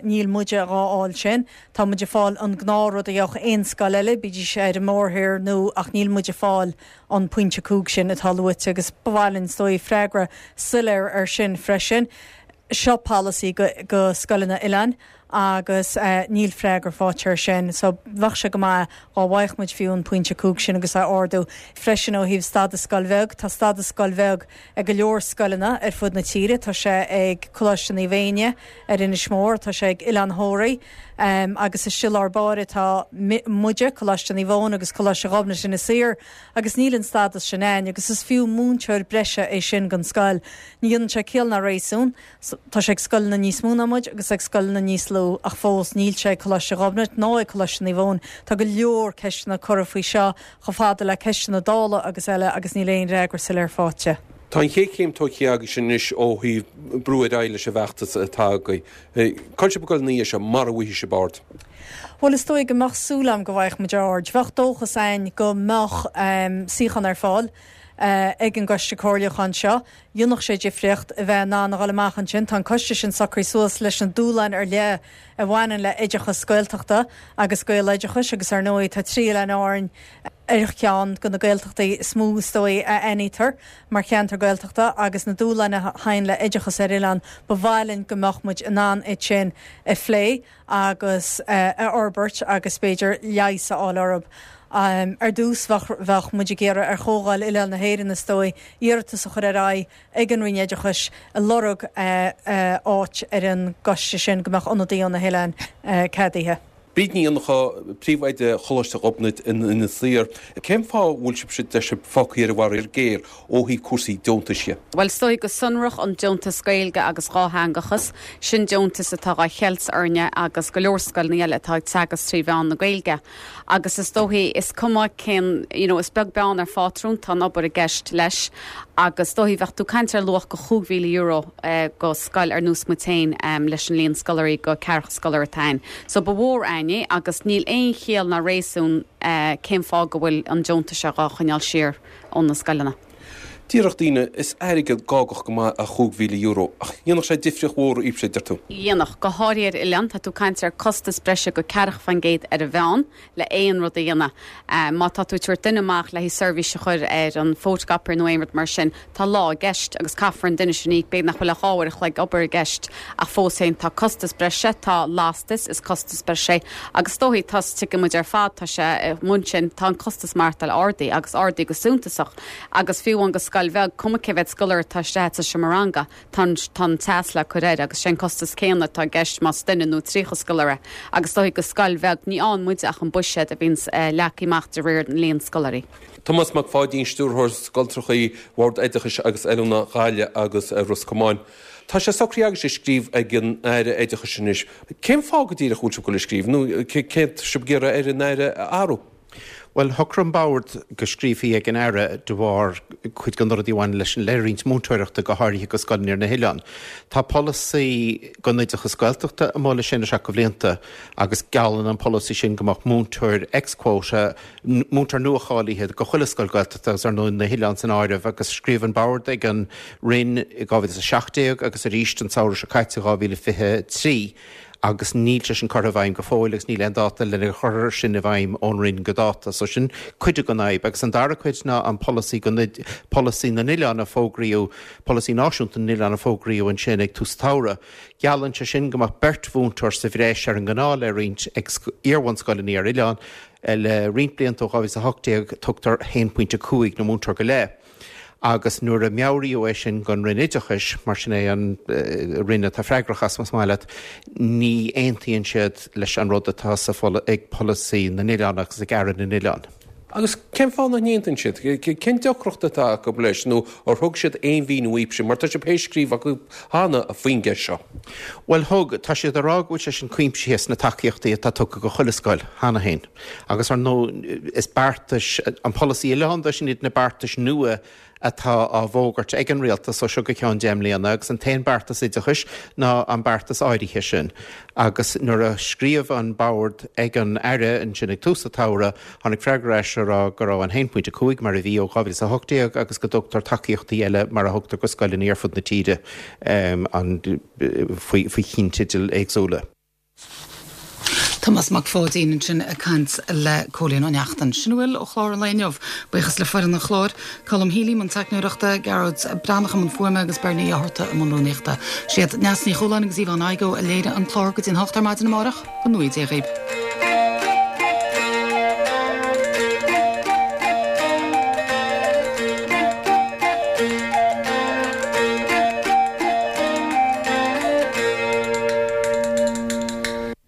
níl muide dhá fháil sin. Tá muid ag fáil an gnáthrud a gheobhadh aon scoil eile, bídís ar an mórthír nó, ach níl muid ag fáil an pointe 5 sin atá luaite agus ba mhaith linn, is dóigh, freagra soiléir air sin freisin. Seo polasaí go scoileanna oileáin agus níl freagra faighte air sin. So bheadh sé go maith dhá bhfaigheadh muid fiú an pointe 5 sin agus é a ardú. Freisin ó thaobh stadas scoil bheag, tá stadas scoil bheag ag go leor scoileanna ar fud na tíre. Tá sé ag Coláiste Naomh Éinne ar Inis Mór, tá sé ag Oileán Thóraí agus istigh i lár báire tá muide, Coláiste Naomh Eoin agus Coláiste Ghobnait Inis Oírr agus níl an stádas sin a'ainn agus is fiú múinteoir breise é sin don scoil. Ní dhéanann sé ciall ná réasún. Tá sé ag scoileanna níos mó ná muid agus ag scoileanna níos lú ach fós níl sé ag Coláiste Ghobnait ná ag Coláiste Naomh Eoin. Tá go leor ceisteanna curtha faoi seo chomh fada le ceisteanna Dála agus eile agus níl aon fhreagra soiléir faighte. Tá an chéad chéim tógtha agaibhse anois ó thaobh brú ar aghaidh leis an bhfeachtas atá agaibh. Cá bhfuil sibh ag dul ina dhiaidh seo, mara bhfaighidh sibh aird? Bhuel, is dóigh go mbeadh súil agam go bhfaigheadh muid aird. Bheadh dóchas a'ainn go mbeadh suíochán ar fáil ag an gcoiste comhairliúcháin seo. Dhéanfadh sé difríocht a bheith in ann a dhul amach ansin. Tá an coiste sin socraithe suas leis na dúshláin ar leith a bhaineann le oideachas Gaeltachta agus Gaeloideachais agus ar ndóigh tá trí Oileáin Árainn ar cheann de na Gaeltachtaí is mó is dóigh a aithnítear mar cheantar Gaeltachta agus na dúshláin a thagann le oideachas ar oileán. Ba mhaith linn go mbeadh muid in ann iad sin a phlé agus a fhorbairt agus b'fhéidir leigheas a fháil orthu. Ar dtús bheadh muid ag iarraidh ar Chomhdháil Oileáin na hÉireann, is dóigh, iarratas a chur ar aghaidh ag an Roinn Oideachais ag lorg áit ar an gcoiste sin go mbeadh ionadaí ó na hoileáin ceadaithe. Bríd Ní Fhionnachadha, Príomhoide Choláiste Ghobnait in Inis Oírr. Cén fáth a bhfuil sibhse, deir sibh, fágtha ar an bhfaraor géar ó thaobh cúrsaí deontais dhe? Bhuel, is dóigh go sonrach an deontas Gaeilge agus dhátheangachas, sin deontas atá dhá cheilt orainne agus go leor scoileanna eile atá ag teagasc trí mheán na Gaeilge. Agus is dóichí, is cuma cén, you know, is beag beann ar phátrún, tá an obair i gceist leis. Agus is dóichí, bheadh tú ag caint ar luach go €5,000 go scoil ar nós muid féin leis an líon scoláirí go ceathracha scoláire atá a'ainn. So ba mhór a'ainn é agus níl aon chiall ná réasún cén fáth go bhfuil an deontas seo dhá choinneáil siar ó na scoileanna. Déarfadh daoine, is airgead gágach go maith é €5,000, ach dhéanfadh sé difríocht mhór dhaoibhse, deir tú. Dhéanfadh, go háirithe ar oileán. Tá tú ag caint ar costas breise go ceathracha fán gcéad ar an mheán le aon rud a dhéanamh. Má tá tú ag tabhairt duine amach le haghaidh seirbhís a chur ar an photocopier nó aon rud mar sin, tá lá i gceist agus caithfear an duine sin a íoc. B'fhéidir nach bhfuil ach 2 uair a chloig obair i gceist ach fós féin tá costas breise, tá lastas, is costas breise é agus is dóichí, tá, tuigeann muid ar fad, tá sé, amuigh ansin, tá an costas maireachtáil ardaithe agus ardaithe go suntasach. Agus fiú amháin go. scoil bheag, cuma cé mhéad scoláire atá isteach sa seomra ranga, tá an, tá an teas le cur air agus sé an costas céanna atá i gceist más duine nó 30 scoláire. Agus is dóigh go scoil bheag, ní fhaigheann muide ach an buiséad a bhíonns leagtha amach de réir an líon scoláirí. Tomás Mac Pháidín, Stiúrthóir Scoltrachaí Bhord Oideachais agus Oiliúna Ghaillimh agus Ros Comáin. Tá sé socraithe agaibhse scríobh ag an Aire Oideachais anois. Cén fáth go díreach a bhfuil sibh ag dul ag scríobh nó céard tá sibh ag iarraidh ar an Aire a athrú? Bhuel, shocraigh an Bord go scríobhfaí ag an Aire de bharr cuid de na rudaí a bhain leis an leithroinnt múinteoireachta, go háirithe go scoileanna ar na hoileáin. Tá polasaí don oideachas Gaeltachta amuigh le sé nó seacht de bhlianta agus geallann an polasaí sin go mbeadh múinteoir ex-quota, múinteoir nua-cháilithe do chuile scoil Ghaeltachta agus ar ndóigh na hoileáin san áireamh agus scríobh an Bord ag an Roinn i 2017 agus arís an samhradh seo caite, 2023. agus níl sé sin curtha i bhfeidhm go fóill agus níl aon dáta lena chur sin i bhfeidhm ón Roinn go dáta. So sin cuid den fhadhb. Agus an dara cuid ná an polasaí go polasaí na n-oileán a fógraíodh, polasaí náisiúnta na n-oileán a fógraíodh ansin ag tús an tsamhraidh. Geallann sé sin go mbeadh beirt mhúinteoir sa bhreis ar an ngnáth-leithroinnt ag iar-bhunscoileanna ar oileán. Le roinnt blianta ó 2018 tugtar 1.5 nó múinteoir go leith. Agus nuair a meabhraíodh é sin don Roinn Oideachais, mar sin é an Roinn atá freagrach as, más maith leat, ní aontaíonn siad leis an rud atá sa ag polasaí na n-oileán agus ag Aire na n-oileán. Agus cén fáth nach n-aontaíonn siad? Cén deacracht atá acu leis nó ar thug siad aon mhíniú dhaoibhse, mar tá sibh théis scríobh chucu cheana faoin gceist seo? Bhuel thug, tá siad ag rá go bhfuil sé sin cuimsithe sna tacaíochtaí atá tugtha go chuile scoil cheana féin. Agus ar ndóigh, is beartais, an polasaí oileánda, sin iad na beartais nua atá á bhfógairt ag an rialtas ó seo go ceann deich mbliana agus an t-aon beartas oideachais ná an beartas áirithe sin. Agus nuair a scríobh an Bord ag an Aire ansin ag tús an tsamhraidh, tháinig freagra ar ais a rá go raibh an 1.5 mar a bhí ó 2018 agus go dtugtar tacaíochtaí eile mar a thugtar go scoileanna ar fud na tíre faoi chinnteidil éagsúla. Tomás Mac Pháidín ansin ag caint le Cóilín Ó Neachtain. Sin a bhfuil ó chlár an lae inniu. Buíochas le foireann an chláir, Colm Healy i mbun teicneoireachta, Gearóid Breathnach i mbun fuaime agus Bernie Ó hEorta i mbun rúnaíochta. Siad Neasa Ní Chualáin agus Yvonne Igoe a léirigh an clár go dtí an hocht ar maidin amárach. Go ngnóthaí Dia dhaoibh.